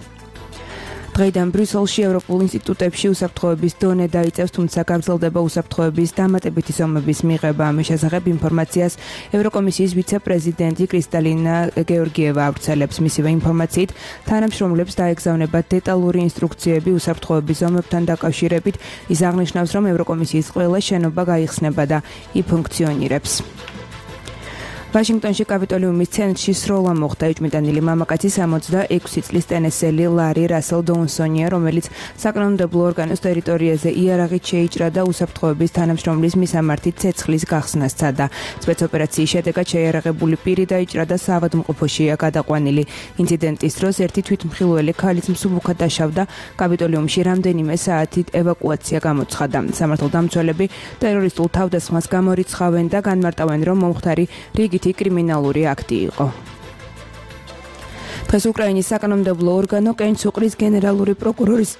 დღეიდან ბრიუსელში ევროპულ ინსტიტუტებში უსაფრთხოების დონე დაიწევს, თუმცა გაგრძელდება უსაფრთხოების დამატებითი ზომების მიღება. ამის შესახებ ინფორმაციას ევროკომისიის ვიცე-პრეზიდენტი კრისტალინა გეორგიევა ავრცელებს. მისივე ინფორმაციით, თანამშრომლებს დაეგზავნება დეტალური ინსტრუქციები უსაფრთხოების ზომებთან დაკავშირებით. ის აღნიშნავს, რომ ევროკომისიის ყველა შენობა გაიხსნება და იფუნქციონირებს. ვაშინგტონში კაპიტოლიუმის ცენტრში სროლა მოხდა. ეჭვმიტანილი მამაკაცი 66 წლის ტენესელი ლარი რასელ დოუნსონია, რომელიც საკანონმდებლო ორგანოს ტერიტორიაზე იარაღით შეიჭრა და უსაფრთხოების თანამშრომლის მისამართით ცეცხლის გახსნას სცადა. სპეცოპერაციის შედეგად შეიარაღებული პირი დაიჭრა და საავადმყოფოშია გადაყვანილი. ინციდენტის დროს ერთი თვითმხილველი ქალიც მსუბუქად დაშავდა. კაპიტოლიუმში რამდენიმე საათით ევაკუაცია გამოცხადა. სამართალდამცველები ტერორისტულ თავდასხმას გამორიცხავენ და განმარტავენ, რომ მომხდარი რიგი კრიმინალური აქტი იყო. დღეს უკრაინის საკანონმდებლო ორგანო კენჩუყრის გენერალური პროკურორის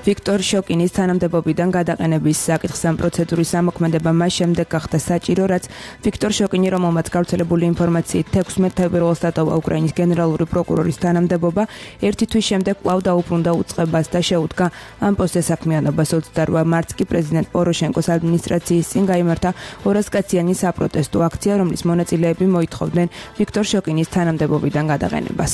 ვიქტორ შოკინის თანამდებობიდან გადაყენების საკითხს ამ პროცედურის ამოქმედება მას შემდეგ გახდა საჭირო, რაც ვიქტორ შოკინი, რომელმაც გავრცელებული ინფორმაციით 16 თებერვალს დატოვა უკრაინის გენერალური პროკურორის თანამდებობა, ერთი თვის შემდეგ კვლავ დაუბრუნდა უწყებას და შეუდგა ამ პოსტზე საქმიანობას. 28 მარტს კი პრეზიდენტ პოროშენკოს ადმინისტრაციის წინ გაიმართა 200-კაციანი საპროტესტო აქცია, რომლის მონაწილეები მოითხოვდნენ ვიქტორ შოკინის თანამდებობიდან გადაყენებას.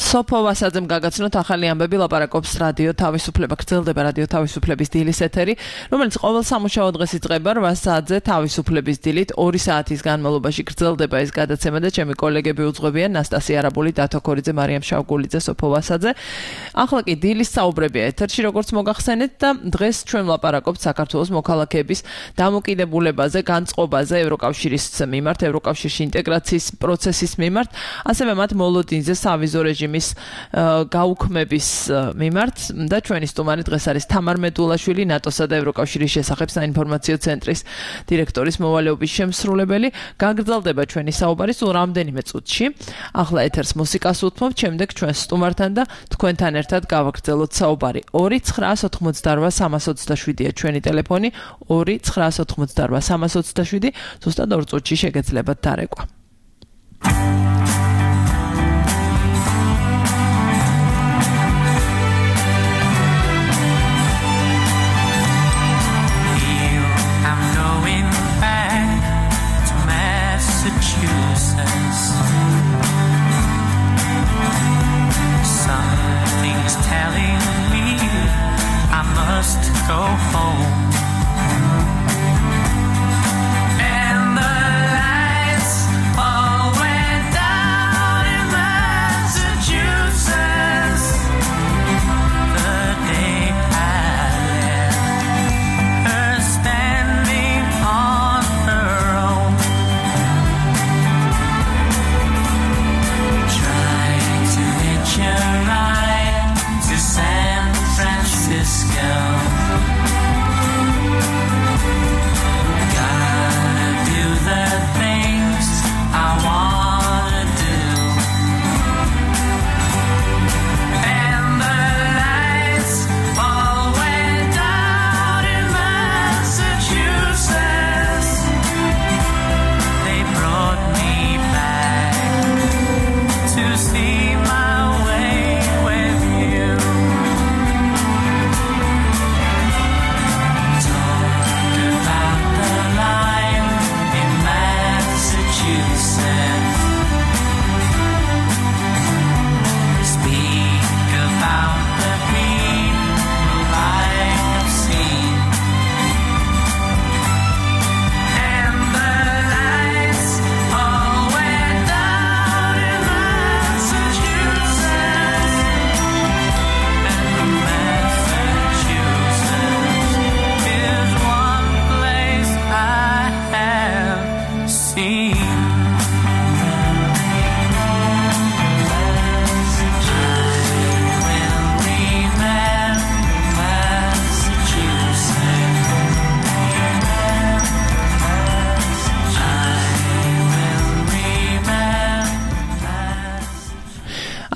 სოფო ვასაძემ გაგაცნოთ ახალი ამბები, ლაპარაკობს რადიო თავისუფლება. გრძელდება რადიო თავისუფლების დილის ეთერი, რომელიც ყოველ სამუშაო დღეს იწყება 8 საათზე თავისუფლების დილით. 2 საათის განმავლობაში გრძელდება ეს გადაცემა და ჩემი კოლეგები უძღვებიან ნასტასია არაბული, დათო ქორიძე, მარიამ შავგულიძე, სოფო ვასაძე. ახლა კი დილის საუბრებია ეთერში, როგორც მოგახსენეთ და დღეს ჩვენ ვლაპარაკობთ საქართველოს მოქალაქეების დამოკიდებულებაზე, განწყობაზე ევროკავშირის მიმართ, ევროკავშირში ინტეგრაციის პროცესის მიმართ, ასევე მათ მოლოდინზე სავიზო რეჟიმის გაუქმების მიმართ და ჩვენი სტუმარი დღეს არის თამარ მედულაშვილი, ნატოსა და ევროკავშირის შესახებ საინფორმაციო ცენტრის დირექტორის მოვალეობის შემსრულებელი. გაგრძელდება ჩვენი საუბარი სულ რამდენიმე წუთში. ახლა ეთერს მუსიკას უთმობთ, შემდეგ ჩვენ სტუმართან და თქვენთან ერთად გავაგრძელოთ საუბარი. 2-988-327-ია ჩვენი ტელეფონი, 2-988-327, ზუსტად 2 წუთში შეგეძლებათ დარეკვა. Something's telling me I must go home. And the lights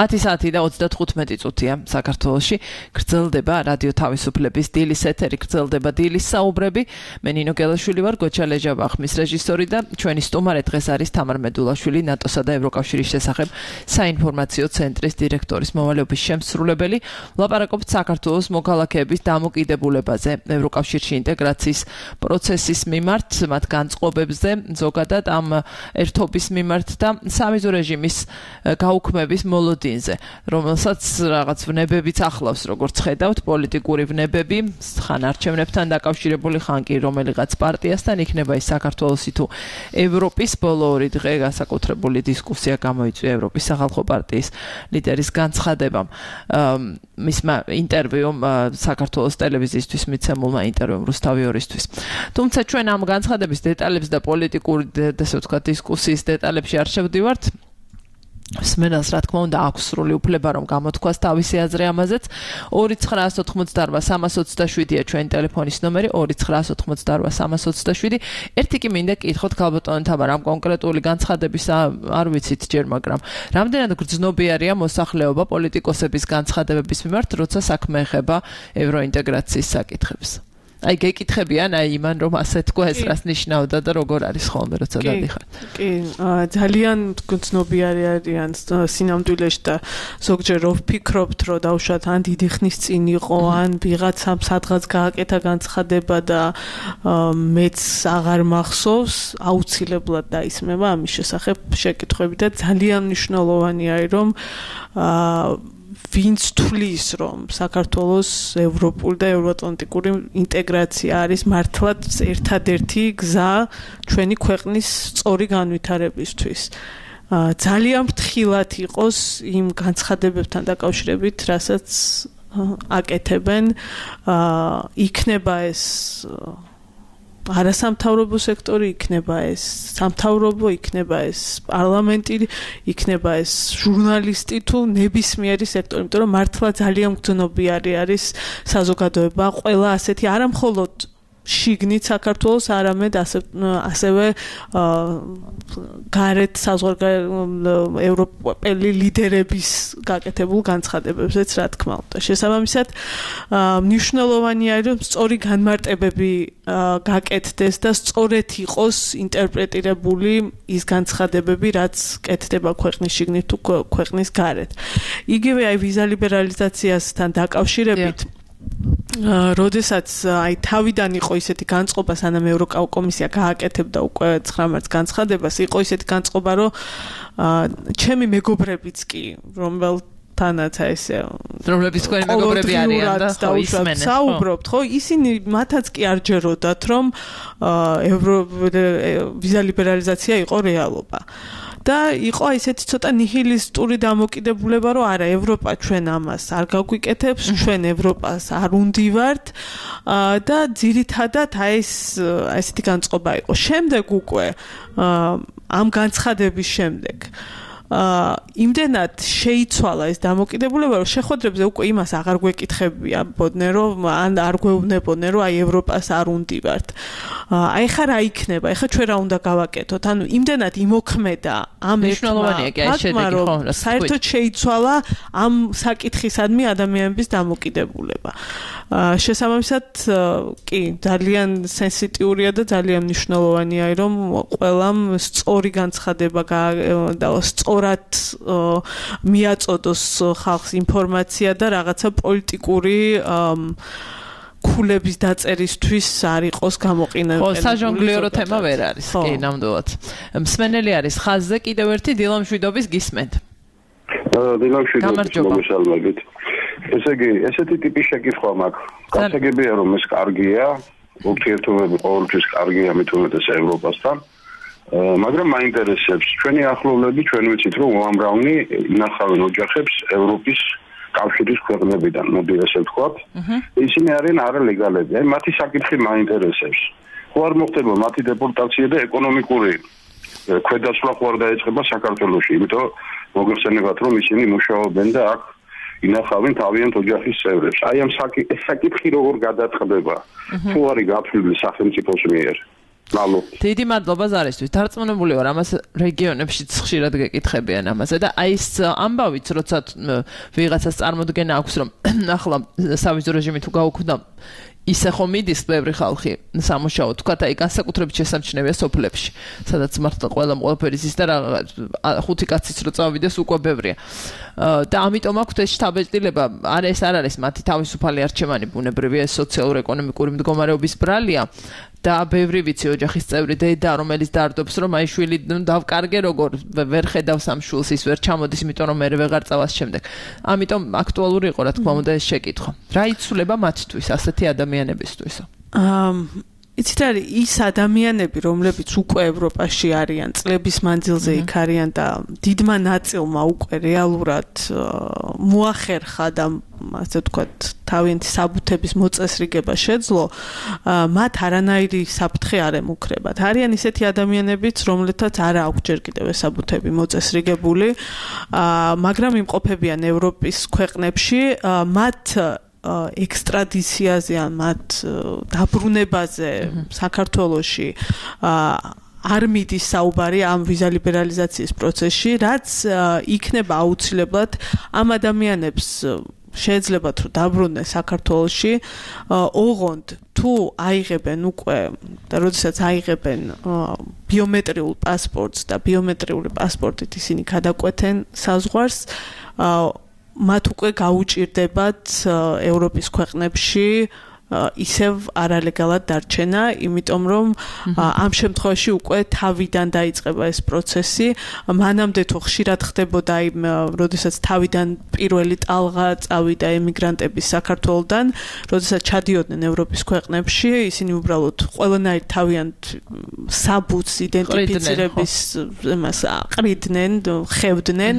10 საათი და 35 წუთია საქართველოში. გრძელდება რადიო თავისუფლების დილის ეთერი, გრძელდება დილის საუბრები. მე ნინო გელაშვილი ვარ, გოჩა ლეჯაბახმის რეჟისორი და ჩვენი სტუმარი დღეს არის თამარ მედულაშვილი, ნატოსა და ევროკავშირის შესახებ საინფორმაციო ცენტრის დირექტორის მოვალეობის შემსრულებელი. ვლაპარაკობთ საქართველოს მოქალაქეების დამოკიდებულებაზე, ევროკავშირში ინტეგრაციის პროცესის მიმართ, მათ განწყობებზე, ზოგადად ამ ერთობის მიმართ და სამიზო რეჟიმის გაუქმების მოლოდინზე, რომელსაც რაღაც ვნებებიც ახლავს, როგორც ხედავთ, პოლიტიკური ვნებები, ხან არჩევნებთან დაკავშირებული, ხან კი რომელიღაც პარტიასთან, იქნება ის საქართველოსი თუ ევროპის. ბოლო ორი დღე განსაკუთრებული დისკუსია გამოიწვია ევროპის სახალხო პარტიის ლიდერის განცხადებამ, მისმა ინტერვიუმ საქართველოს ტელევიზიისთვის მიცემულმა ინტერვიუმ რუსთავი 2-ისთვის. თუმცა ჩვენ ამ განცხადების დეტალებს და პოლიტიკური, ესე ვთქვათ, დისკუსიის დეტალებში არ შევდივართ. მსმენელს რა თქმა უნდა აქვს სრული უფლება რომ გამოთქვას თავისი აზრი ამაზეც. 2988327-ია ჩვენი ტელეფონის ნომერი, 2988327. ერთი კი მინდა კითხოთ ქალბატონ თამარ, ამ კონკრეტული განცხადების არ ვიცით ჯერ, მაგრამ რამდენად გრძნობიარია მოსახლეობა პოლიტიკოსების განცხადებების მიმართ, როცა საქმე ეხება ევროინტეგრაციის საკითხებს? აი გეკითხებიან აი იმან რომ ასე თქვა ეს რას ნიშნავდა და როგორ არის ხოლმე როცა დადიხარ. კი, ძალიან გრძნობიარი არიან სინამდვილეში და ზოგჯერ რო ვფიქრობთ რომ დავუშვათ ან დიდი ხნის წინ იყო ან ვიღაცამ სადღაც გააკეთა განცხადება და მეც აღარ მახსოვს, აუცილებლად დაისმება ამის შესახებ შეკითხვები და ძალიან მნიშვნელოვანია რომ ვინც თulis რომ საქართველოს ევროპული და ევროატლანტიკური ინტეგრაცია არის მართლაც ერთადერთი გზა ჩვენი ქვეყნის სწორი განვითარებისთვის. ძალიან ფრთხილად იყოს იმ განცხადებებთან დაკავშირებით, რასაც აკეთებენ, იქნება ეს არასამთავრობო სექტორი, იქნება ეს სამთავრობო, იქნება ეს პარლამენტი, იქნება ეს ჟურნალისტი თუ ნებისმიერი სექტორი, იმიტომ რომ მართლა ძალიან გრძნობიარი არის საზოგადოება, ყველა ასეთი არამხოლოდ შიგნით საქართველოს, არამედ ასევე გარეთ ევროპელი ლიდერების გაკეთებულ განცხადებებზეც რა თქმა უნდა. შესაბამისად, მნიშვნელოვანია რომ სწორი განმარტებები გაკეთდეს და სწორედ იყოს ინტერპრეტირებული ის განცხადებები, რაც კეთდება ქვეყნის შიგნით თუ ქვეყნის გარეთ. იგივე აი ვიზა ლიბერალიზაციასთან დაკავშირებით როდესაც აი თავიდან იყო ისეთი განწყობა, სანამ ევროკომისია გააკეთებდა უკვე 9 მარტს განცხადებას, იყო ისეთი განწყობა, რომ ჩემი მეგობრებიც კი, რომელთანაც ესე რომლებიც თქვენი მეგობრები არიან და ისმენენ, საუბრობთ, ხო, ისინი მათაც კი არ ჯეროდათ, რომ ვიზა ლიბერალიზაცია იყო რეალობა. და იყო ესეთი ცოტა ნიჰილისტური დამოკიდებულება, რომ არა, ევროპა ჩვენ ამას არ გაგვიკეთებს, ჩვენ ევროპას არ უნდივართ და ძირითადად აი ესეთი განწყობა იყო. შემდეგ უკვე ამ განცხადების შემდეგ იმდენად შეიცვალა ეს დამოკიდებულება, რომ შეხვედრებზე უკვე იმას აღარ გვეკითხებიებოდნენ, რომ ან არ გვეუბნებოდნენ, რომ აი ევროპას არ უნდივართ. აი ხა რა იქნება, აი ხა ჩვენ რა უნდა გავაკეთოთ? ანუ იმდენად იმოქმედა ამ მნიშვნელოვანია კი ეს შედეგი, ხო, რა საერთოდ შეიცვალა ამ საკითხისადმი ადამიანების დამოკიდებულება. შესაბამისად, კი, ძალიან სენსიტიურია და ძალიან მნიშვნელოვანია, რომ ყველამ სწორი განცხადება და სწორად მიაწოდოს ხალხს ინფორმაცია და რაღაცა პოლიტიკური ქულების დაწერისთვის არ იყოს გამოყენებული. ხო, საჟონგლიორო თემა ვერ არის, კი, ნამდვილად. მსმენელი არის ხაზზე, კიდევ ერთი დილამშვიდობის გისმენთ. დილამშვიდობის მომშალმებით. ესე იგი, ესეთი ტიპის შეკითხვა მაქვს. გასაგებია რომ ეს კარგია, ურთიერთობები ყოველთვის კარგია მithumetes ევროპასთან. მაგრამ მაინტერესებს ჩვენი ახლობლები, ჩვენ ვიცით რომ უამრავი ინახავენ ოჯახებს ევროპის კავშირის ქვეყნებიდან, მოდი ასე ვთქვათ. ისინი არიან არალეგალები. აი მათი საკითხი მაინტერესებს. ხო არ მოხდება მათი დეპორტაცია და ეკონომიკური ქვედაცვლა ხო არ დაეწყება საქართველოში, იმიტომ მოგეხსენებათ რომ ისინი მუშაობენ და აქ ინახავენ თავიანთ ოჯახის წევრებს. აი ამ საკითხი როგორ გადაწყდება? თუ არის გაფრთხილი სახელმწიფოს მიერ? დიდი მადლობა ზარისთვის. დარწმუნებული ვარ, ამას რეგიონებშიც ხშირად გეკითხებიან ამაზე და აი ეს ამბავიც, როცა ვიღაცას წარმოდგენა აქვს, რომ ახლა სავიზო რეჟიმი თუ გაუქმდა, ისე ხომ მიდის ბევრი ხალხი სამუშაოდ, თქვა აი განსაკუთრებით შესამჩნევია სოფლებში, სადაც მართლა ყველაფერი ზის და ხუთი კაციც რო წავიდეს უკვე ბევრია. და ამიტომ აქვს ეს შთაბეჭდილება, ეს არ არის მათი თავისუფალი არჩევანი, ბუნებრივია, სოციალურ-ეკონომიკური მდგომარეობის ბრალია. და ბევრი ვიცი ოჯახის წევრი დედა რომელიც დარდობს რომ აი შვილი დავკარგე როგორ ვერ ხედავს ამ შვილს ის ვერ ჩამოდის იმიტომ რომ მე ვეღარ წავას შემდეგ ამიტომ აქტუალური იყო რა თქმა უნდა ეს შეკითხვა რა იცვლება მათთვის ასეთი ადამიანებისთვის იცით არის ის ადამიანები რომლებიც უკვე ევროპაში არიან წლების მანძილზე იქ არიან და დიდმა ნაწილმა უკვე რეალურად მოახერხა და ასე ვთქვათ თავიანთი საბუთების მოწესრიგება შეძლო მათ არანაირი საფრთხე არ ემუქრებათ არიან ისეთი ადამიანებიც რომლეთაც არ აქვს ჯერ კიდევ საბუთები მოწესრიგებული მაგრამ იმყოფებიან ევროპის ქვეყნებში მათ ექსტრადიციაზე ან მათ დაბრუნებაზე საქართველოში არ მიდის საუბარი ამ ვიზა ლიბერალიზაციის პროცესში, რაც იქნება აუცილებლად ამ ადამიანებს შეეძლებათ რომ დაბრუნდნენ საქართველოში, ოღონდ თუ აიღებენ უკვე და როდესაც აიღებენ ბიომეტრიულ პასპორტს და ბიომეტრიული პასპორტით ისინი გადაკვეთენ საზღვარს მათ უკვე გაუჭირდებათ ევროპის ქვეყნებში ისევ არალეგალად დარჩენა, იმიტომ რომ ამ შემთხვევაში უკვე თავიდან დაიწყება ეს პროცესი, მანამდე თუ ხშირად ხდებოდა იმ, როდესაც თავიდან პირველი ტალღა წავიდა ემიგრანტების საქართველოდან, როდესაც ჩადიოდნენ ევროპის ქვეყნებში, ისინი უბრალოდ ყველანაირ თავიანთ საბუთს იდენტიფიცირების იმას აყრიდნენ, ხევდნენ,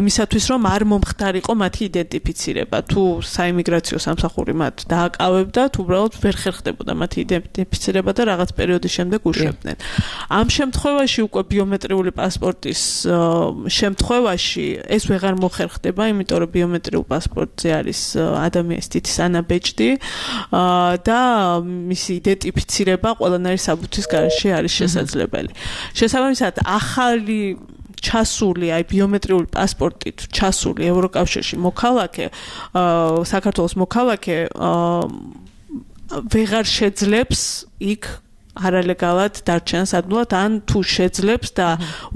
იმისათვის რომ არ მომხდარიყო მათი იდენტიფიცირება, თუ საიმიგრაციო სამსახური მათ დააკავებდა უბრალოდ ვერ ხერხდებოდა მათი იდენტიფიცირება და რაღაც პერიოდის შემდეგ უშვებდნენ. ამ შემთხვევაში უკვე ბიომეტრიული პასპორტის შემთხვევაში ეს ვეღარ მოხერხდება, იმიტომ რომ ბიომეტრიულ პასპორტზე არის ადამიანის თითის ანაბეჭდი და მისი იდენტიფიცირება ყველანაირი საბუთის გარეშე არის შესაძლებელი. შესაბამისად, ახალი ჩასული აი ბიომეტრიული პასპორტით ჩასული ევროკავშირში მოქალაქე საქართველოს მოქალაქე ვეღარ შეძლებს იქ არალეგალად დარჩენას ადვილად ან თუ შეძლებს და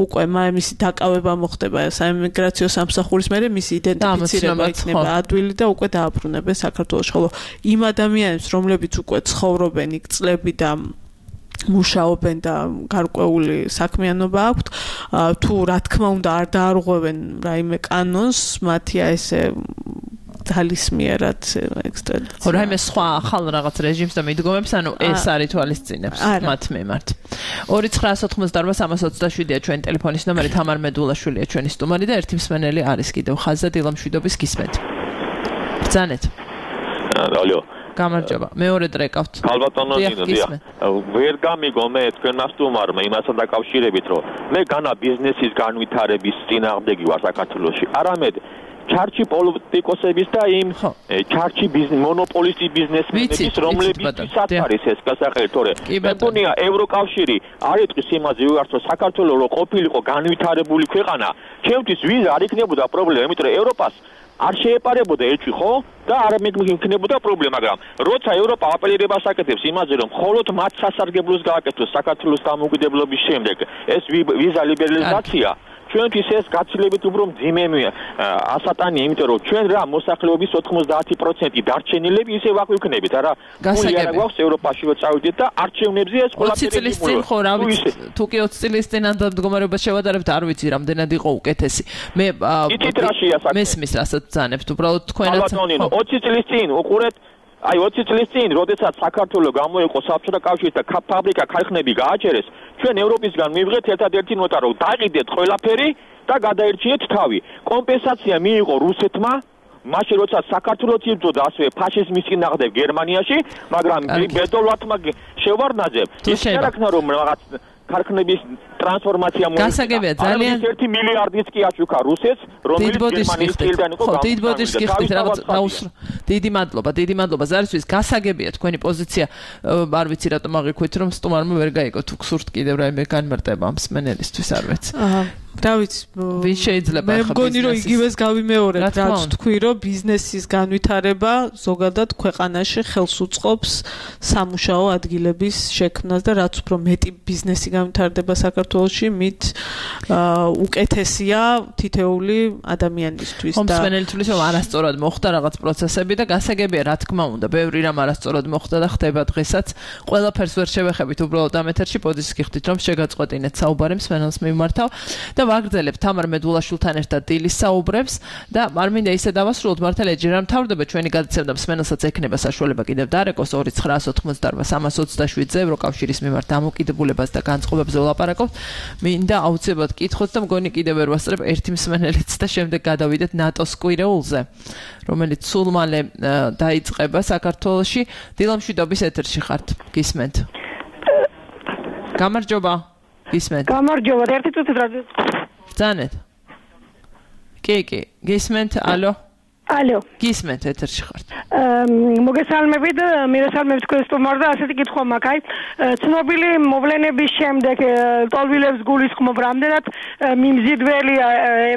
უკვე მისი დაკავება მოხდება საიმიგრაციო სამსახურის მერე მისი იდენტიფიცირება იქნება ადვილი და უკვე დააბრუნებენ საქართველოში ხოლო იმ ადამიანებს რომლებიც უკვე ცხოვრობენ იქ წლები და მუშაობენ და გარკვეული საქმიანობა აქვთ თუ რა თქმა უნდა არ დაარღვევენ რაიმე კანონს მათია ესე ძალისმიერად ექსტრადიცია. ხო, რაიმე სხვა ახალ რაღაც რეჟიმს და მიდგომებს, ანუ ეს არ ითვალისწინებს მათ მიმართ. 2988-327-ია ჩვენი ტელეფონის ნომერი, თამარ მედულაშვილია ჩვენი სტუმარი და ერთი მსმენელი არის კიდევ ხაზზე დილამშვიდობის გისმენთ. ბრძანეთ. ალო. გამარჯობა. მეორე დრეკავთ. ხალბატონო ნინო, ვერ გამიგო მე თქვენმა სტუმარმა იმასთან დაკავშირებით, რომ მე განა ბიზნესის განვითარების წინააღმდეგი ვარ საქართველოში. არამედ ჩარჩი პოლიტიკოსების და იმ ჩარჩი მონოპოლისტი ბიზნესმენების რომლებიც არის ეს გასაყრელი თორე მე მგონია ევროკავშირი არ იტყვის იმაზე ვიღარც რომ საქართველოს რო ყოფილიყო განვითარებული ქვეყანა ჩემთვის ვიზა არ იქნებოდა პრობლემა იმიტომ რომ ევროპას არ შეეპარებოდა ერთში ხო და არ მეკნებოდა პრობლემა მაგრამ როცა ევროპა აპელირებას აკეთებს იმაზე რომ მხოლოდ მათ სასარგებლოს გააკეთოს საქართველოს დამოუკიდებლობის შემდეგ ეს ვიზა ლიბერალიზაცია ჩვენთვის ეს გაცილებით უფრო მძიმე ასატანია, იმიტომ რომ ჩვენ რა მოსახლეობის 90% დარჩენილები ისე ვაგვიქნებით, არა გული არა გვაქვს ევროპაში რო წავიდეთ და არჩევნებზე ეს ყველაფერი 20 წლის წინ ხო რა ვიცი, თუ კი 20 წლის წინ ამ მდგომარეობას შევადარებთ, არ ვიცი რამდენად იყო უკეთესი. მე მესმის რასაც ძანებთ, უბრალოდ თქვენაც 20 წლის წინ უყურეთ აი 20 წლის წინ, როდესაც საქართველოს გამოიყო საბჭოთა კავშირის და ფაბრიკა ქარხნები გააჩერეს, ჩვენ ევროპისგან მივიღეთ ერთადერთი ნოტა, რომ დაყიდეთ ყველაფერი და გადაერჩიეთ თავი. კომპენსაცია მიიღო რუსეთმა, მაშინ როდესაც საქართველოს იბრძოდა ასევე ფაშიზმის წინააღმდეგ გერმანიაში, მაგრამ ბედოლვათმა შევარდნაძემ ის არ აქნა რომ რაღაც ქარხნების ტრანსფორმაცია გასაგებია ძალიან 1 მილიარდიც კი აშუქა რუსეთს, რომელიც გერმანიის წილიდან იყო. ხო, დიდბოდის გიხდით რაღაც დაუსრო. დიდი მადლობა ზარისთვის. გასაგებია თქვენი პოზიცია, არ ვიცი რატომ აღიქვით, რომ სტუმარმა ვერ გაიგო თუ გსურთ კიდევ რაიმე განმარტება ამ მსმენელისთვის არ ვიცი. რა ვიცი, ვის შეიძლება მე მგონი რომ იგივეს გავიმეორებ, რაც თქვი რომ ბიზნესის განვითარება ზოგადად ქვეყანაში ხელს უწყობს სამუშაო ადგილების შექმნას და რაც უფრო მეტი ბიზნესი განვითარდება საქართველოში, მით უკეთესია თითეული ადამიანისთვის და მსმენელი თulis რომ არასწორად მოხდა რაღაც პროცესები და გასაგებია რა თქმა უნდა, ბევრი რამ არასწორად მოხდა და ხდება დღესაც. ყველაფერს ვერ შევეხებით უბრალოდ ამ ეთერში პოზიციის გიხდით რომ შეგაწყვეტინეთ საუბარი მსმენელს მიმართავ და ვაგრძელებ თამარ მედულაშვილთან ერთად დილის საუბრებს და არ მინდა ისე დავასრულოთ მართალია ჯერ არ მთავრდება ჩვენი გადაცემა და მსმენელსაც ექნება საშუალება კიდევ დარეკოს 2988-327 ევროკავშირის მიმართ დამოკიდებულებას და განწყობებზე ვლაპარაკობთ. მინდა აუცილებლად კითხოთ და მგონი კიდევ ვერ ვასწრებ ერთი მსმენელიც და შემდეგ გადავიდეთ ნატოს კვირეულზე, რომელიც სულ მალე დაიწყება საქართველოში. დილამშვიდობის ეთერში ხართ, გისმენთ? გამარჯობა. გისმენთ? გამარჯობა, ერთი წუთით რადიო. ბრძანეთ. კი, გისმენთ? ალო. გისმენთ, ეთერში ხართ. მოგესალმებით, მივესალმებ თქვენ სტუმარს და ასეთი კითხვა მაქვს. ცნობილი მოვლენების შემდეგ ტოლვილებს გულისხმობ რამდენად მიმზიდველია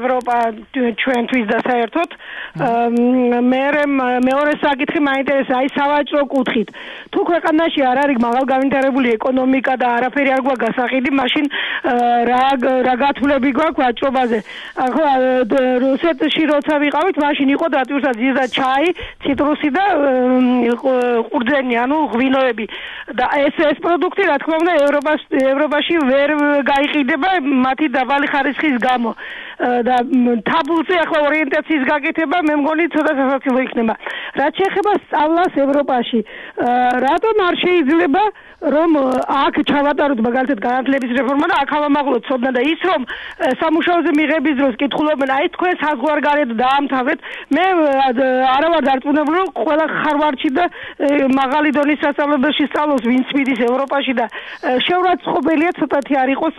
ევროპა ჩვენთვის და საერთოდ. მეორე საკითხი მაინტერესა, აი სავაჭრო კუთხით. თუ ქვეყანაში არ არის მაღალ განვითარებული ეკონომიკა და არაფერი არ გვაქვს გასაყიდი, მაშინ რა გათვლები გვაქვს ვაჭრობაზე? ახლა რუსეთში როცა ვიყავით, მაშინ იყო დატვირთვა ძირდა ჩაი, ციტრუსი და ყურძენი, ანუ ღვინოები. და ეს პროდუქტი, რა თქმა უნდა, ევროპაში ვერ გაიყიდება მათი დაბალი ხარისხის გამო. და თაბულზე ახლა ორიენტაციის გაკეთება მე მგონი ცოტა სასაცილო იქნება. რაც შეეხება სწავლას ევროპაში, რატომ არ შეიძლება რომ აქ ჩავატაროთ მაგალითად განათლების რეფორმა და აქ ავამაღლოთ ცოდნა და ის რომ სამუშაოზე მიღების დროს კითხულობენ, აი თქვენ საზღვარგარეთ დაამთავრეთ, მე არა ვარ დარწმუნებული რომ ყველა ხარვარდში და მაღალი დონის სასწავლებელში სწავლობს ვინც მიდის ევროპაში და შეურაცხყოფელია ცოტათი არ იყოს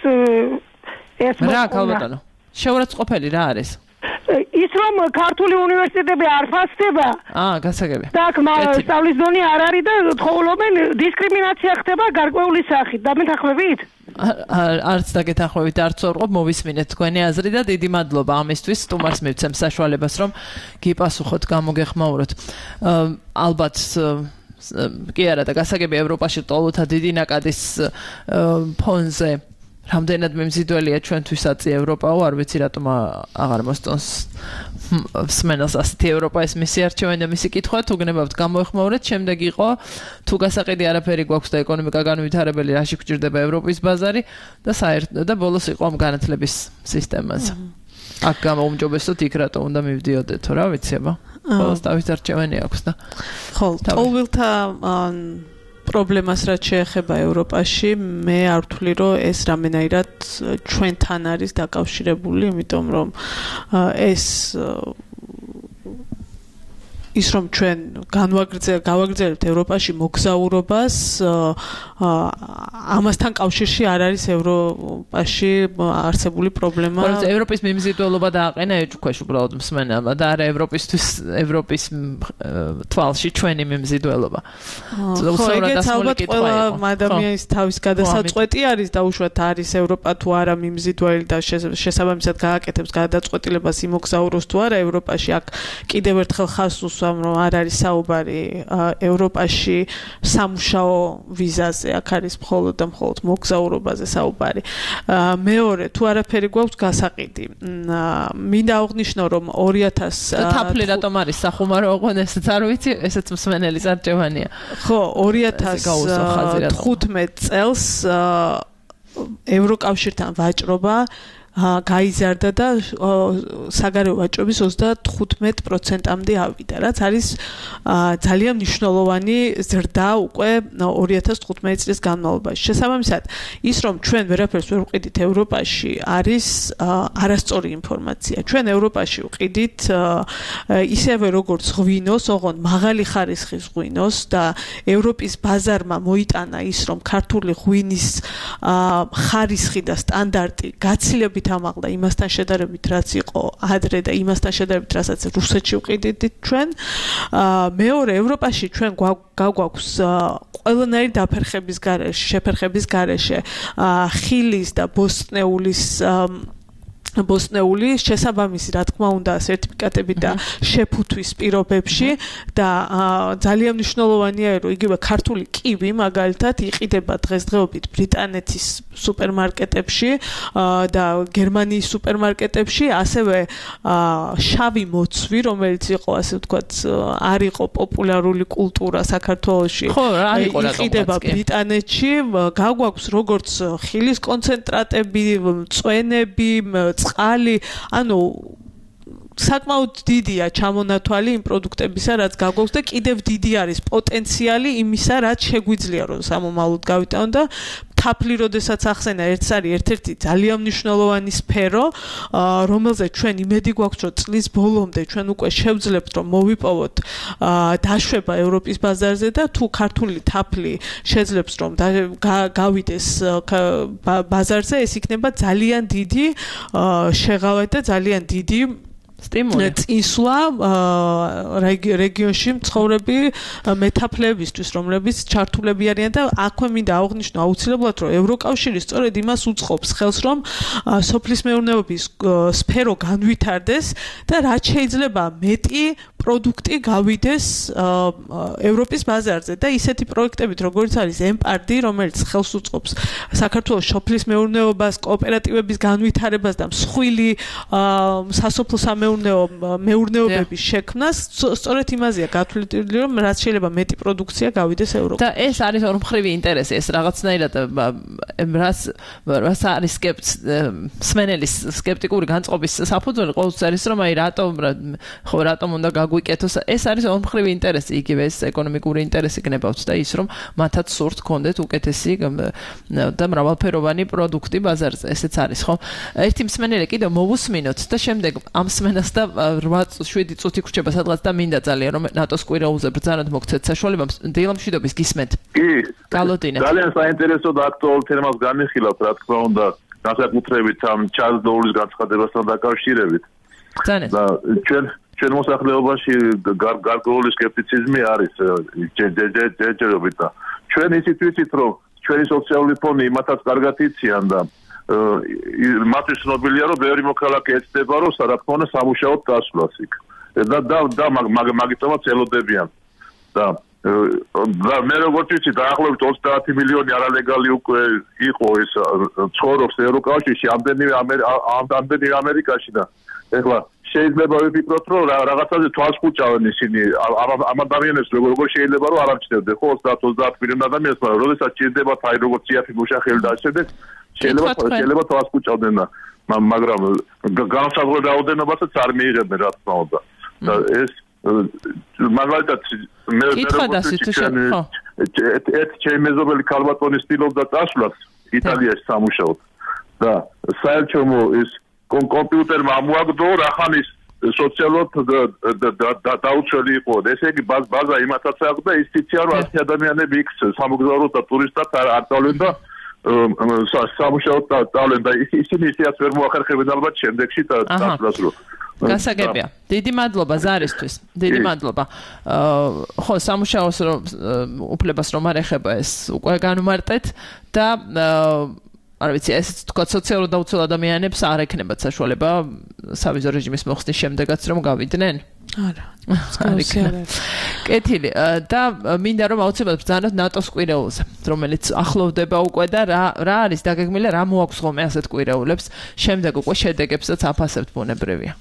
ეს რა ქალბატონო შეურაცხყოფელი რა არის? ის რომ ქართული უნივერსიტეტები არ ფასდება. გასაგებია. და სწავლის დონე არ არის და თხოვლობენ დისკრიმინაცია ხდება გარკვეული სახით. დამეთანხმებით? არც დაგეთანხმებით, არც ვარყოფ, მოვისმინეთ თქვენი აზრი და დიდი მადლობა ამისთვის. სტუმარს მივცემ საშუალებას რომ გიპასუხოთ, გამოგეხმაუროთ. ალბათ კი არა და გასაგებია ევროპაში ტოლოთა დიდი ნაკადის ფონზე რამდენად მიმზიდველია ჩვენთვის აწი ევროპაო, არ ვიცი რატომ აღარ მოსწონს მსმენელს ასეთი ევროპა ეს მისი არჩევანი და მისი კითხვა, თუ გნებავთ გამოეხმაურეთ, შემდეგ იყო თუ გასაყიდი არაფერი გვაქვს და ეკონომიკა განვითარებელი, რაში გვჭირდება ევროპის ბაზარი და საერთოდ და ბოლოს იყო ამ განათლების სისტემაზე. აქ გამოუმჯობესოთ იქ რატო უნდა მივდიოდეთო, რა ვიცი აბა. ბოლოს თავის არჩევანი აქვს და ხო, ტოლვილთა პრობლემას რაც შეეხება ევროპაში, მე არ ვთვლი, რომ ეს რამენაირად ჩვენთან არის დაკავშირებული, იმიტომ რომ ის რომ ჩვენ გავაგრძელებთ ევროპაში მოგზაურობას, ამასთან კავშირში არ არის ევროპაში არსებული პრობლემა. მაგრამ ევროპის მიმზიდველობა დააყენა ეჭქვეშ უბრალოდ მსმენელმა და არა ევროპის თვალში ჩვენი მიმზიდველობა. ხო, ეგეც ალბათ ყველა ადამიანის თავის გადასაწყვეტი არის და უშუალოდ არის ევროპა თუ არა მიმზიდველი და შესაბამისად გააკეთებს გადაწყვეტილებას იმოგზაუროს თუ არა ევროპაში. აქ კიდევ ერთხელ ხაზს რომ არ არის საუბარი ევროპაში სამუშაო ვიზაზე, აქ არის მხოლოდ და მხოლოდ მოგზაურობაზე საუბარი. მეორე, თუ არაფერი გვაქვს გასაყიდი. მინდა აღვნიშნო, რომ 2000 თაფლი რატომ არის სახუმარო ოღონდ ესეც არ ვიცი, ესეც მსმენელის არჩევანია. ხო, 2015 წელს ევროკავშირთან ვაჭრობა გაიზარდა და საგარეო ვაჭრობის 35%-მდე ავიდა, რაც არის ძალიან მნიშვნელოვანი ზრდა უკვე 2015 წლის განმავლობაში. შესაბამისად, ის რომ ჩვენ ვერაფერს ვერ ვყიდით ევროპაში, არის არასწორი ინფორმაცია. ჩვენ ევროპაში ვყიდით ისევე როგორც ღვინოს, ოღონდ მაღალი ხარისხის ღვინოს და ევროპის ბაზარმა მოიტანა ის, რომ ქართული ღვინის ხარისხი და სტანდარტი გაცილებით ამაღლა იმასთან შედარებით, რაც იყო ადრე და იმასთან შედარებით, რასაც რუსეთში ვყიდით ჩვენ. მეორე, ევროპაში ჩვენ გაგვაქვს ყველანაირი დაფერხების გარეშე, შეფერხების გარეშე ხილის და ბოსტნეული შესაბამისი, რა თქმა უნდა, სერტიფიკატები და შეფუთვის პირობებში და ძალიან მნიშვნელოვანია, რომ იგივე ქართული კივი მაგალითად იყიდება დღესდღეობით ბრიტანეთის სუპერმარკეტებში და გერმანიის სუპერმარკეტებში, ასევე შავი მოცვი, რომელიც იყო, ასე ვთქვათ, არ იყო პოპულარული კულტურა საქართველოში, იყიდება ბრიტანეთში, გაგვაქვს როგორც ხილის კონცენტრატები, მწვენები, წყალი, ანუ საკმაოდ დიდია ჩამონათვალი იმ პროდუქტებისა, რაც გაგვაქვს და კიდევ დიდი არის პოტენციალი იმისა, რაც შეგვიძლია რომ სამომავლოდ გავიტანოთ და თაფლი როდესაც ახსენა ერთ-ერთი ძალიან მნიშვნელოვანი სფერო, რომელზეც ჩვენ იმედი გვაქვს, რომ წლის ბოლომდე ჩვენ უკვე შევძლებთ, რომ მოვიპოვოთ დაშვება ევროპის ბაზარზე და თუ ქართული თაფლი შეძლებს, რომ გავიდეს ბაზარზე, ეს იქნება ძალიან დიდი შეღავად და ძალიან დიდი სტიმული წინსვლა რეგიონში მცხოვრები მეტაფლებისთვის, რომლებიც ჩართულები არიან და აქვე მინდა აღვნიშნო აუცილებლად, რომ ევროკავშირი სწორედ იმას უწყობს ხელს, რომ სოფლის მეურნეობის სფერო განვითარდეს და რაც შეიძლება მეტი პროდუქტი გავიდეს ევროპის ბაზარზე და ისეთი პროექტებით, როგორც არის ემპარდი, რომელიც ხელს უწყობს საქართველოს სოფლის მეურნეობას, კოოპერატივების განვითარებას და მსხვილი სასოფლო მეურნეობების შექმნას, სწორედ იმაზეა გათვლილი, რომ რაც შეიძლება მეტი პროდუქცია გავიდეს ევროპაში. და ეს არის ორმხრივი ინტერესი, ეს რაღაცნაირად რაც არის სმენელის სკეპტიკური განწყობის საფუძველი ყოველთვის არის, რომ აი რატომ უნდა გაგვიკეთოს, ეს არის ორმხრივი ინტერესი, იგივე ეს ეკონომიკური ინტერესი გნებავთ და ის, რომ მათაც სურთ გქონდეთ უკეთესი და მრავალფეროვანი პროდუქტი ბაზარზე, ესეც არის, ხო? ერთი მსმენელი კიდევ მოვუსმინოთ და შემდეგ ამ მსმენელს და 8-7 წუთი გრჩება სადღაც და მინდა ძალიან რომ ნატოს კვირაულზე ბრძანოთ მოგცეთ საშუალება დილამშვიდობის გისმენთ. კი. გალოდინეთ. ძალიან საინტერესო და აქტუალურ თემას განიხილავთ, რა თქმა უნდა, განსაკუთრებით ამ ჩარლზ დოულის განცხადებასთან დაკავშირებით. ძალიან. და ჩვენ მოსახლეობაში გარკვეული სკეპტიციზმი არის ჯერჯერობით და ჩვენ ისიც ვიცით, რომ ჩვენი სოციალური ფონი იმათაც კარგად იციან და მათთვის ცნობილია, რომ ბევრი მოქალაქე ეცდება, რომ რა თქმა უნდა სამუშაოდ დასვლას იქ. და მაგიტომაც ელოდებიან. და მე როგორც ვიცი, დაახლოებით 30 მილიონი არალეგალი უკვე იყო ეს ცხოვრობს ევროკავშირში, ამდენივე ამერიკაში და ეხლა შეიძლება ვიფიქროთ, რომ რაღაცაზე თვალს ხუჭავენ ისინი ამ ადამიანებს, როგორ შეიძლება რომ არ ამჩნევდნენ, ხო 30 მილიონი ადამიანს, მაგრამ როდესაც ჭირდებათ აი როგორც იაფი მუშახელი და ასე შეიძლება თვალს ხუჭავდნენ და მაგრამ განსაზღვრულ რაოდენობასაც არ მიიღებდნენ, რა თქმა უნდა. და ეს მაგალითად მე ჩემი მეზობელი ქალბატონი ცდილობდა წასვლას იტალიაში სამუშაოდ და საერთოდ ეს კომპიუტერმა ამოაგდო რახანის სოციალურად დაუცველი იყო. ესე იგი ბაზა იმათაც აქვს და ის ციცია რომ 10 ადამიანები იქ სამოგზაურო და ტურისტად არ წავლენ და სამუშაოდ წავლენ და ისინი ისეაც ვერ მოახერხებენ ალბათ შემდეგში წასვლას რო. გასაგებია. დიდი მადლობა ზარისთვის. დიდი მადლობა. ხო, სამუშაოს უფლებას რომ არ ეხება ეს უკვე განვმარტეთ და არ ვიცი, ეს თქვა სოციალურად დაუცველ ადამიანებს არ ექნებათ საშუალება სავიზო რეჟიმის მოხსნის შემდეგაც რომ გავიდნენ? არა. კეთილი და მინდა რომ აუცილებლად ბრძანოთ ნატოს კვირეულზე, რომელიც ახლოვდება უკვე და რა არის დაგეგმილი, რა მოაქვს ხოლმე ასეთ კვირეულებს, შემდეგ უკვე შედეგებსაც აფასებთ ბუნებრივია.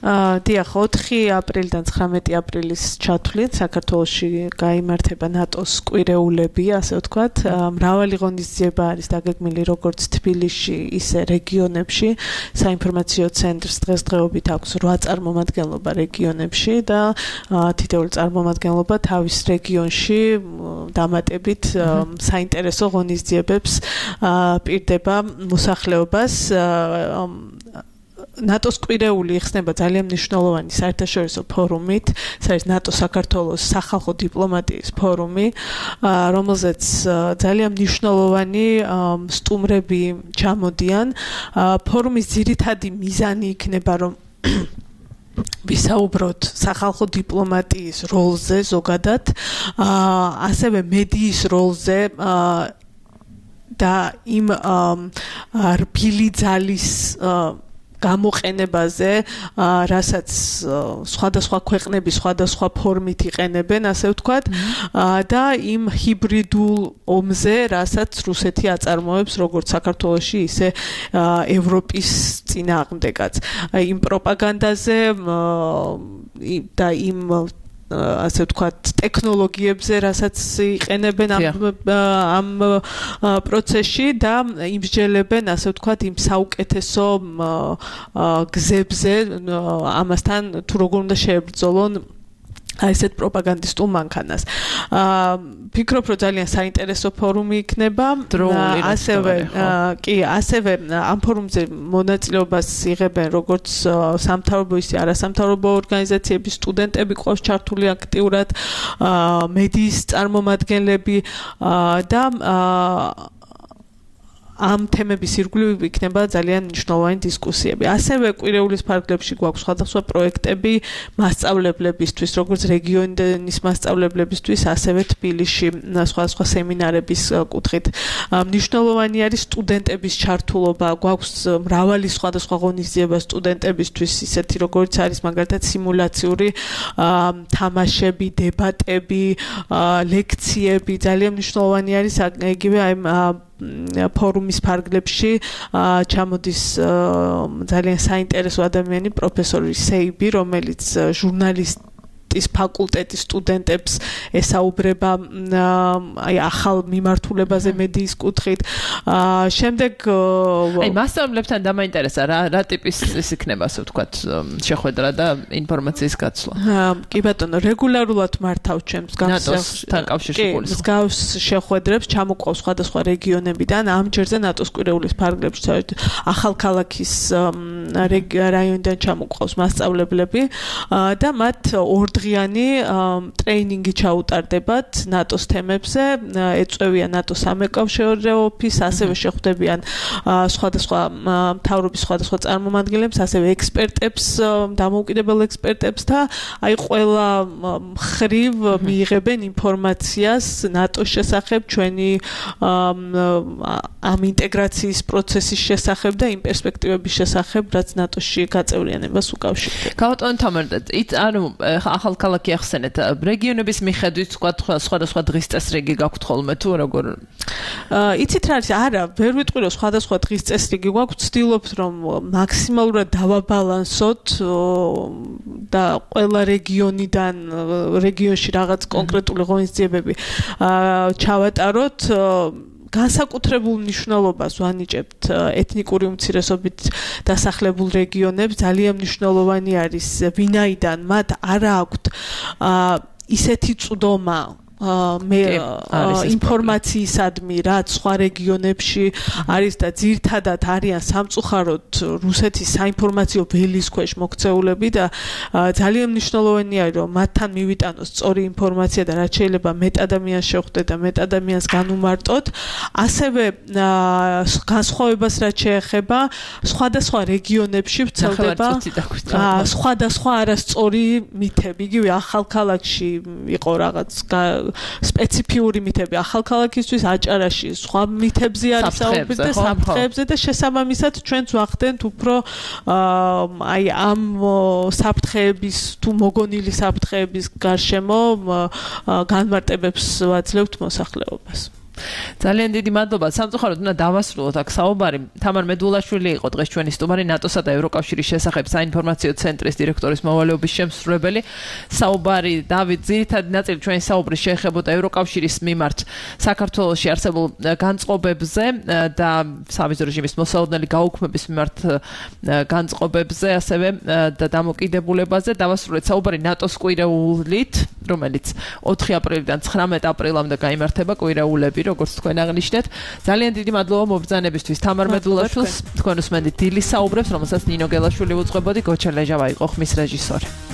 დიახ, 4 აპრილიდან 19 აპრილის ჩათვლით საქართველოში გაიმართება ნატოს კვირეულები, ასე ვთქვათ. მრავალი ღონისძიება არის დაგეგმილი როგორც თბილისში, ისე რეგიონებში. საინფორმაციო ცენტრს დღესდღეობით აქვს 8 წარმომადგენლობა რეგიონებში და თითოეული წარმომადგენლობა თავის რეგიონში დამატებით საინტერესო ღონისძიებებს პირდება მოსახლეობას. ნატოს კვირეული იხსნება ძალიან მნიშვნელოვანი საერთაშორისო ფორუმით, ეს არის ნატო საქართველოს სახალხო დიპლომატიის ფორუმი, რომელზეც ძალიან მნიშვნელოვანი სტუმრები ჩამოდიან. ფორუმის ძირითადი მიზანი იქნება, რომ ვისაუბროთ სახალხო დიპლომატიის როლზე ზოგადად, ასევე მედიის როლზე და იმ რბილი ძალის გამოყენებაზე, რასაც სხვადასხვა ქვეყნები სხვადასხვა ფორმით იყენებენ, ასე ვთქვათ, და იმ ჰიბრიდულ ომზე, რასაც რუსეთი აწარმოებს როგორც საქართველოში, ისე ევროპის წინააღმდეგაც. იმ პროპაგანდაზე და იმ ასე ვთქვათ, ტექნოლოგიებზე, რასაც იყენებენ ამ პროცესში და იმსჯელებენ, ასე ვთქვათ, იმ საუკეთესო გზებზე, ამასთან თუ როგორ უნდა შეებრძოლონ ესეთ პროპაგანდისტულ მანქანას. ფიქრობ, რომ ძალიან საინტერესო ფორუმი იქნება. ასევე ამ ფორუმზე მონაწილეობას იღებენ როგორც სამთავრობო, ისე არასამთავრობო ორგანიზაციების სტუდენტები ყავს ჩართული აქტიურად, მედიის წარმომადგენლები და ამ თემების ირგვლივ იქნება ძალიან მნიშვნელოვანი დისკუსიები. ასევე კვირეულის ფარგლებში გვაქვს სხვადასხვა პროექტები მასწავლებლებისთვის, როგორც რეგიონის მასწავლებლებისთვის, ასევე თბილისში სხვადასხვა სემინარების კუთხით. მნიშვნელოვანი არის სტუდენტების ჩართულობა, გვაქვს მრავალი სხვადასხვა ღონისძიება სტუდენტებისთვის, ისეთი როგორც არის მაგალითად სიმულაციური თამაშები, დებატები, ლექციები, ძალიან მნიშვნელოვანი არის იგივე აი ფორუმის ფარგლებში ჩამოდის ძალიან საინტერესო ადამიანი პროფესორი სეიბი, რომელიც ჟურნალისტის ფაკულტეტის სტუდენტებს ესაუბრება აი ახალ მიმართულებაზე მედიის კუთხით. შემდეგ აი მასწავლებლებთან დამაინტერესა რა ტიპის ის იქნება, ასე ვთქვათ, შეხვედრა და ინფორმაციის გაცვლა. კი ბატონო, რეგულარულად მართავთ ჩემს ნატოსთან კავშირში მსგავს შეხვედრებს, ჩამოყვავს სხვადასხვა რეგიონებიდან. ამ ჯერზე ნატოს კვირეულის ფარგლებში ახალქალაქის რაიონიდან ჩამოყვავს მასწავლებლები და მათ ორდღიანი ტრეინინგი ჩაუტარდებათ ნატოს თემებზე, ეწევიან ნატოს სამეკავშირეო ოფისს, ასევე შეხვდებიან სხვადასხვა მთავრობის სხვადასხვა წარმომადგენლებს, ასევე ექსპერტებს, დამოუკიდებელ ექსპერტებს და აი ყველა მხრივ მიიღებენ ინფორმაციას ნატოს შესახებ, ჩვენი ამ ინტეგრაციის პროცესის შესახებ და იმ პერსპექტივების შესახებ, რაც ნატოში გაწევრიანებას უკავშირდება. გავატონოთ თამარ, ანუ ახალქალაქი ახსენეთ, რეგიონების მიხედვით სხვადასხვა დღის წესრიგი გაქვთ ხოლმე თუ როგორ? იცით რა არის? არა, ვერ ვიტყვი რომ სხვადასხვა დღის წესრიგი გვაქვს, ვცდილობთ რომ მაქსიმალურად დავაბალანსოთ და ყველა რეგიონში რაღაც კონკრეტული ღონისძიებები ჩავატაროთ. განსაკუთრებულ მნიშვნელობას ვანიჭებთ ეთნიკური უმცირესობით დასახლებულ რეგიონებს. ძალიან მნიშვნელოვანი არის, ვინაიდან მათ არ აქვთ ისეთი წვდომა ინფორმაციისადმი, რაც სხვა რეგიონებში არის და ძირთადად არიან სამწუხაროდ რუსეთის საინფორმაციო ველის ქვეშ მოქცეულები და ძალიან მნიშვნელოვანია, რომ მათთან მივიტანოს სწორი ინფორმაცია და რაც შეიძლება მეტ ადამიანს შეხვდეთ და მეტ ადამიანს განუმარტოთ. ასევე განსხვავებას რაც შეეხება სხვადასხვა რეგიონებში ვრცელდება სხვადასხვა არასწორი მითები. იგივე ახალქალაქში იყო რაღაც სპეციფიური მითები ახალქალაქისთვის, აჭარაში სხვა მითებზე არის საუბარი და საფრთხეებზე და შესაბამისად ჩვენც ვახდენთ უფრო აი ამ საფრთხეების თუ მოგონილი საფრთხეების გარშემო განმარტებებს ვაძლევთ მოსახლეობას. ძალიან დიდი მადლობა. სამწუხაროდ უნდა დავასრულოთ აქ საუბარი. თამარ მედულაშვილი იყო დღეს ჩვენი სტუმარი ნატოსა და ევროკავშირის შესახებ საინფორმაციო ცენტრის დირექტორის მოვალეობის შემსრულებელი. საუბარი დავით ძირითადი ნაწილი ჩვენი საუბრის შეეხებოდა ევროკავშირის მიმართ საქართველოში არსებულ განწყობებზე და სავიზო რეჟიმის მოსალოდნელი გაუქმების მიმართ განწყობებზე, ასევე და დამოკიდებულებაზე. დავასრულეთ საუბარი ნატოს კვირეულით, რომელიც 4 აპრილიდან 19 აპრილამდე გაიმართება კვირეულები, როგორც თქვენ აღნიშნეთ. ძალიან დიდი მადლობა მობრძანებისთვის თამარ მედულაშვილს, თქვენ უსმენთ დილის საუბრებს, რომელსაც ნინო გელაშვილი უძღვებოდი, გოჩა ლეჟავა იყო ხმის რეჟისორი.